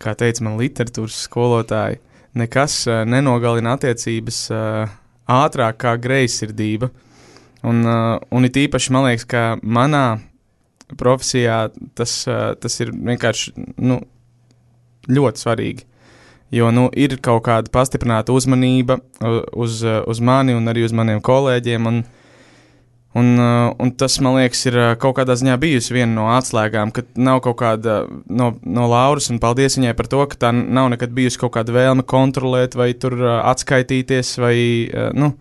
kā teica man literatūras skolotāji, nekas nenogalina attiecības ātrāk kā greizsirdība. Un, un it īpaši man liekas, ka manā profesijā tas, tas ir vienkārši nu, ļoti svarīgi. Jo nu, ir kaut kāda pastiprināta uzmanība uz, uz mani un arī uz maniem kolēģiem. Un, un, un tas, man liekas, ir kaut kādā ziņā bijusi viena no atslēgām, ka nav kaut kāda no, no Lauras, un paldies viņai par to, ka tā nav nekad bijusi kaut kāda vēlme kontrolēt vai tur atskaitīties vai, nu,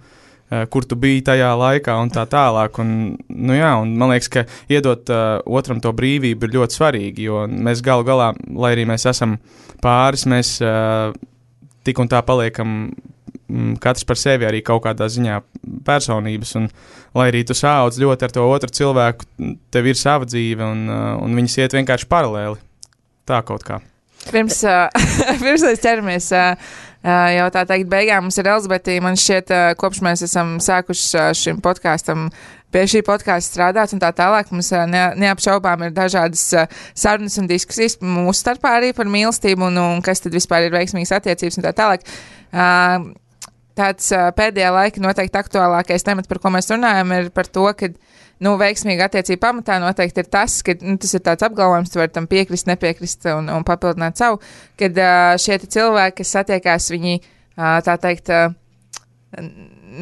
kur tu biji tajā laikā un tā tālāk. Un, nu jā, un man liekas, ka iedot uh, otram to brīvību ir ļoti svarīgi, jo mēs galu galā, lai arī mēs esam pāris, mēs uh, tik un tā paliekam mm, katrs par sevi arī kaut kādā ziņā personības, un lai arī tu sāudz ļoti ar to otru cilvēku, tev ir sava dzīve, un, uh, un viņas iet vienkārši paralēli. Tā kaut kā. Pirms, uh, pirms mēs ķeramies uh, uh, jau tā teikt beigām, mums ir Elizabete, man šķiet, uh, kopš mēs esam sākuši uh, šim podkāstam, pie šī podkāsta strādāt un tā tālāk, mums uh, ne, neapšaubām ir dažādas uh, sarunas un diskusijas mūsu starpā arī par mīlestību un, un kas tad vispār ir veiksmīgas attiecības un tā tālāk. Uh, tāds uh, pēdējā laika noteikti aktuālākais temats, par ko mēs runājam, ir par to, ka nu, veiksmīga attiecība pamatā noteikti ir tas, ka nu, tas ir tāds apgalvojums, tu vari tam piekrist, nepiekrist un, un papildināt savu, kad uh, šie cilvēki, kas satiekās, viņi uh, tā teikt uh,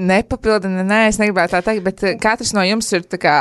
nepapildina, nē, es negribētu tā teikt, bet uh, katrs no jums ir tā kā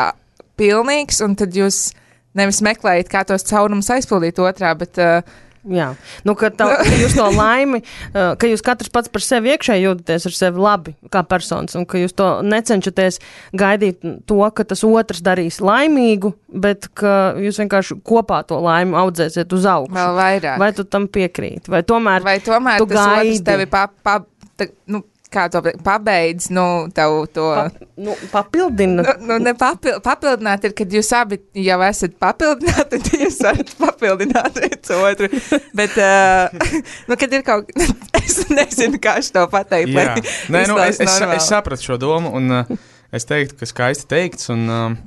pilnīgs, un tad jūs nevis meklējat, kā tos caurumus aizpildīt otrā, bet uh, jā, nu, ka, tā, ka jūs no laimi, ka jūs katrs pats par sevi iekšēji jūtaties ar sevi labi kā personas, un ka jūs to necenšaties gaidīt to, ka tas otrs darīs laimīgu, bet ka jūs vienkārši kopā to laimi audzēsiet uz augšu. Vēl vairāk. Vai tu tam piekrīti? Vai tomēr, vai tomēr tu tas gaidi? otrs tevi pa, pa, ta, nu, kā to pabeidz, nu, tev to... Pa, nu, papildina. Nu, nu ne papil, papildināt ir, kad jūs abi jau esat papildināti, tad jūs varat papildināt viens otru. Bet, uh, nu, kad ir kaut... Es nezinu, kā es to pateikt, lai Nē, nu, es, es, normāli. es sapratu šo domu, un uh, es teiktu, ka skaisti teikts. Un, um,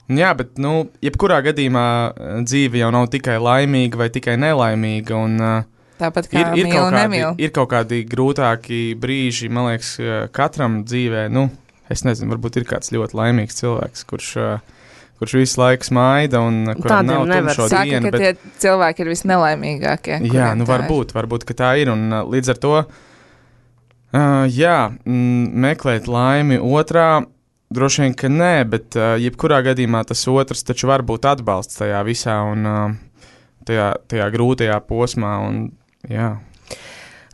jā, bet, nu, jebkurā gadījumā dzīve jau nav tikai laimīga vai tikai nelaimīga. Un, uh, Tāpat kā ir, ir, mīl kaut un kādi, nemīl. ir kaut kādi grūtāki brīži, man liekas, katram dzīvē. Nu, es nezinu, varbūt ir kāds ļoti laimīgs cilvēks, kurš. Uh, kurš visu laiku smaida un kuram nav tumšo Saka, dienu. ka Bet... tie cilvēki ir visnelaimīgākie. Jā, nu varbūt, varbūt, ka tā ir. Un uh, līdz ar to, uh, jā, m, meklēt laimi otrā, droši vien, ka nē, bet uh, jebkurā gadījumā tas otrs taču var būt atbalsts tajā visā un uh, tajā, tajā grūtajā posmā. Un, jā.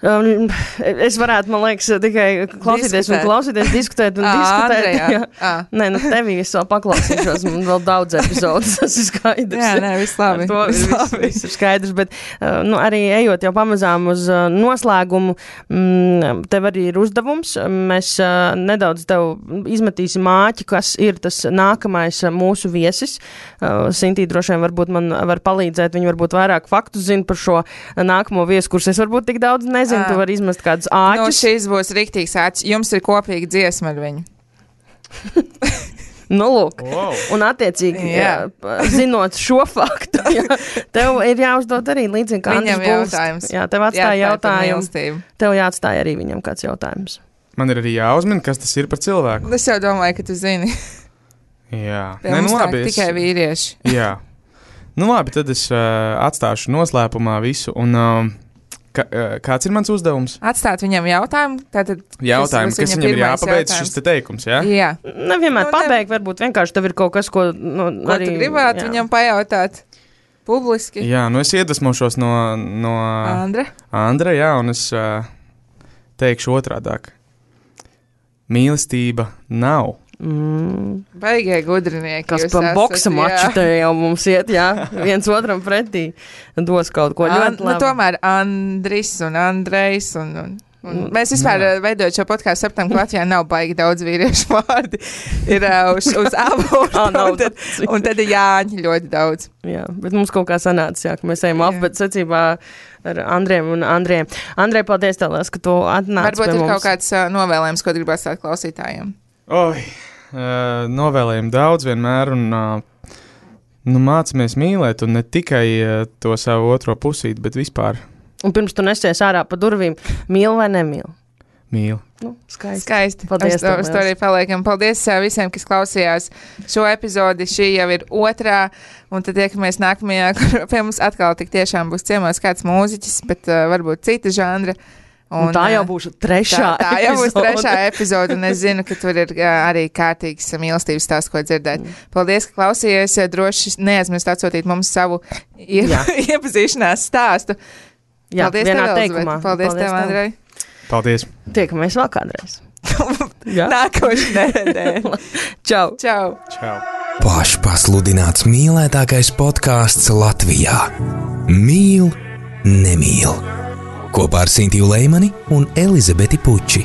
Um, es varētu, man liekas, tikai klausīties Diskutēt. un klausīties, diskutēt un Ā, diskutēt. Andrejā. Jā. Ā. Nē, nu tevī es vēl paklausīšos, man vēl daudz epizodes, tas ir skaidrs. Jā, nē, viss labi. Ar to Viss viss, labi. viss ir skaidrs, bet uh, nu, arī ejot jau pamazām uz uh, noslēgumu, mm, tev arī ir uzdevums. Mēs uh, nedaudz tev izmetīsim āķi, kas ir tas nākamais uh, mūsu viesis. Uh, Sintī droši vien varbūt man var palīdzēt, viņi varbūt vairāk faktus zina par šo uh, nākamo viesu, kurus es varbūt tik daudz nezinu. Tu vari izmest kādus Nu, āķus. šis būs riktīgs āķis. Jums ir kopīga dziesma ar viņu. Nu, lūk. Wow. Un attiecīgi, Jā. jā, zinot šo faktu, jā, tev ir jāuzdod arī līdzīgi kā Viņam Andris Bulst. jautājums. Jā, tev atstāja Jāatklāj par jautājumu. mīlestību. Tev jāatstāja arī viņam kāds jautājums. Man ir arī jāuzmina, kas tas ir par cilvēku. Es jau domāju, ka tu zini. Jā, Pie Nē, mums nu, nāk labi, es- tikai vīrieši. Jā. Nu labi, tad es uh, atstāšu noslēpumā visu. Un, uh, ka, uh, kāds ir mans uzdevums? Atstāt viņam jautājumu. Tātad, Jautājums, būs kas viņa viņam ir pirmais jāpabeidz jautājums. šis te teikums, jā? Jā. Nevienmēr Nu, ne- pabeigt, varbūt vienkārši tev ir kaut kas, ko nu, Ko arī... tu gribētu jā. viņam pajautāt publiski? Jā, nu es iedvesmošos no, no Andra? Andra, jā, un es uh, teikšu otrādāk. Mīlestība nav. Mm, Baigie gudrinieki. kas jūs pa esat, boksa jā. maču te jau mums iet, jā, viens otram pretī dos kaut ko An, ļoti nu, labi. tomēr Andris un Andrejs un, un, un mēs vispār jā. veidojot šo podkāstu saptam, ka Latvijā nav baigi daudz vīriešu vārdi. Ir uh, uz, uz abortu, Ā, nav un, tad, daudz. un tad ir Jāņi ļoti daudz. Jā, bet mums kaut kā sanāca, jā, ka mēs ejam alfabēta secībā ar Andriem un Andriem. Andrej, paldies tev, liels, ka tu atnāci Varbūt pie ir mums. kaut kāds uh, novēlējums, ko gribētu stāt klausītājiem. Oi, uh, novēlējumi daudz vienmēr, un uh, nu, mācāmies mīlēt, un ne tikai uh, to savu otro pusīti, bet vispār Un pirms tu nesies ārā pa durvīm, mīl vai nemīl? mīl. Nu, skaisti. Skaisti. Paldies Uz to, tev, uz to arī liels. paliekam. Paldies uh, visiem, kas klausījās šo epizodi. Šī jau ir otrā, un tad tiekamies nākamajā, kur pie mums atkal tik tiešām būs ciemos kāds mūziķis, bet uh, varbūt cita žanra. Un tā jau būs trešā tā, tā jau būs epizode. trešā epizode, un es zinu, ka tur ir uh, arī kārtīgs mīlestības stāsts, ko dzirdēt. Paldies, ka klausījāties. Droši neaizmirst atsūtīt mums savu ie Jā. iepazīšanās stāstu. Jā, Paldies, vienā tev, teikumā. Elizabete. Paldies, tev, Andrej. Paldies! Tiekamies vēl kādreiz. Jā. Nākošais nedēļa. Čau! Čau! Čau! Pašpasludināts mīlētākais podkāsts Latvijā. Mīl, nemīl. Kopā ar Sintiju Leimani un Elizabeti Puči.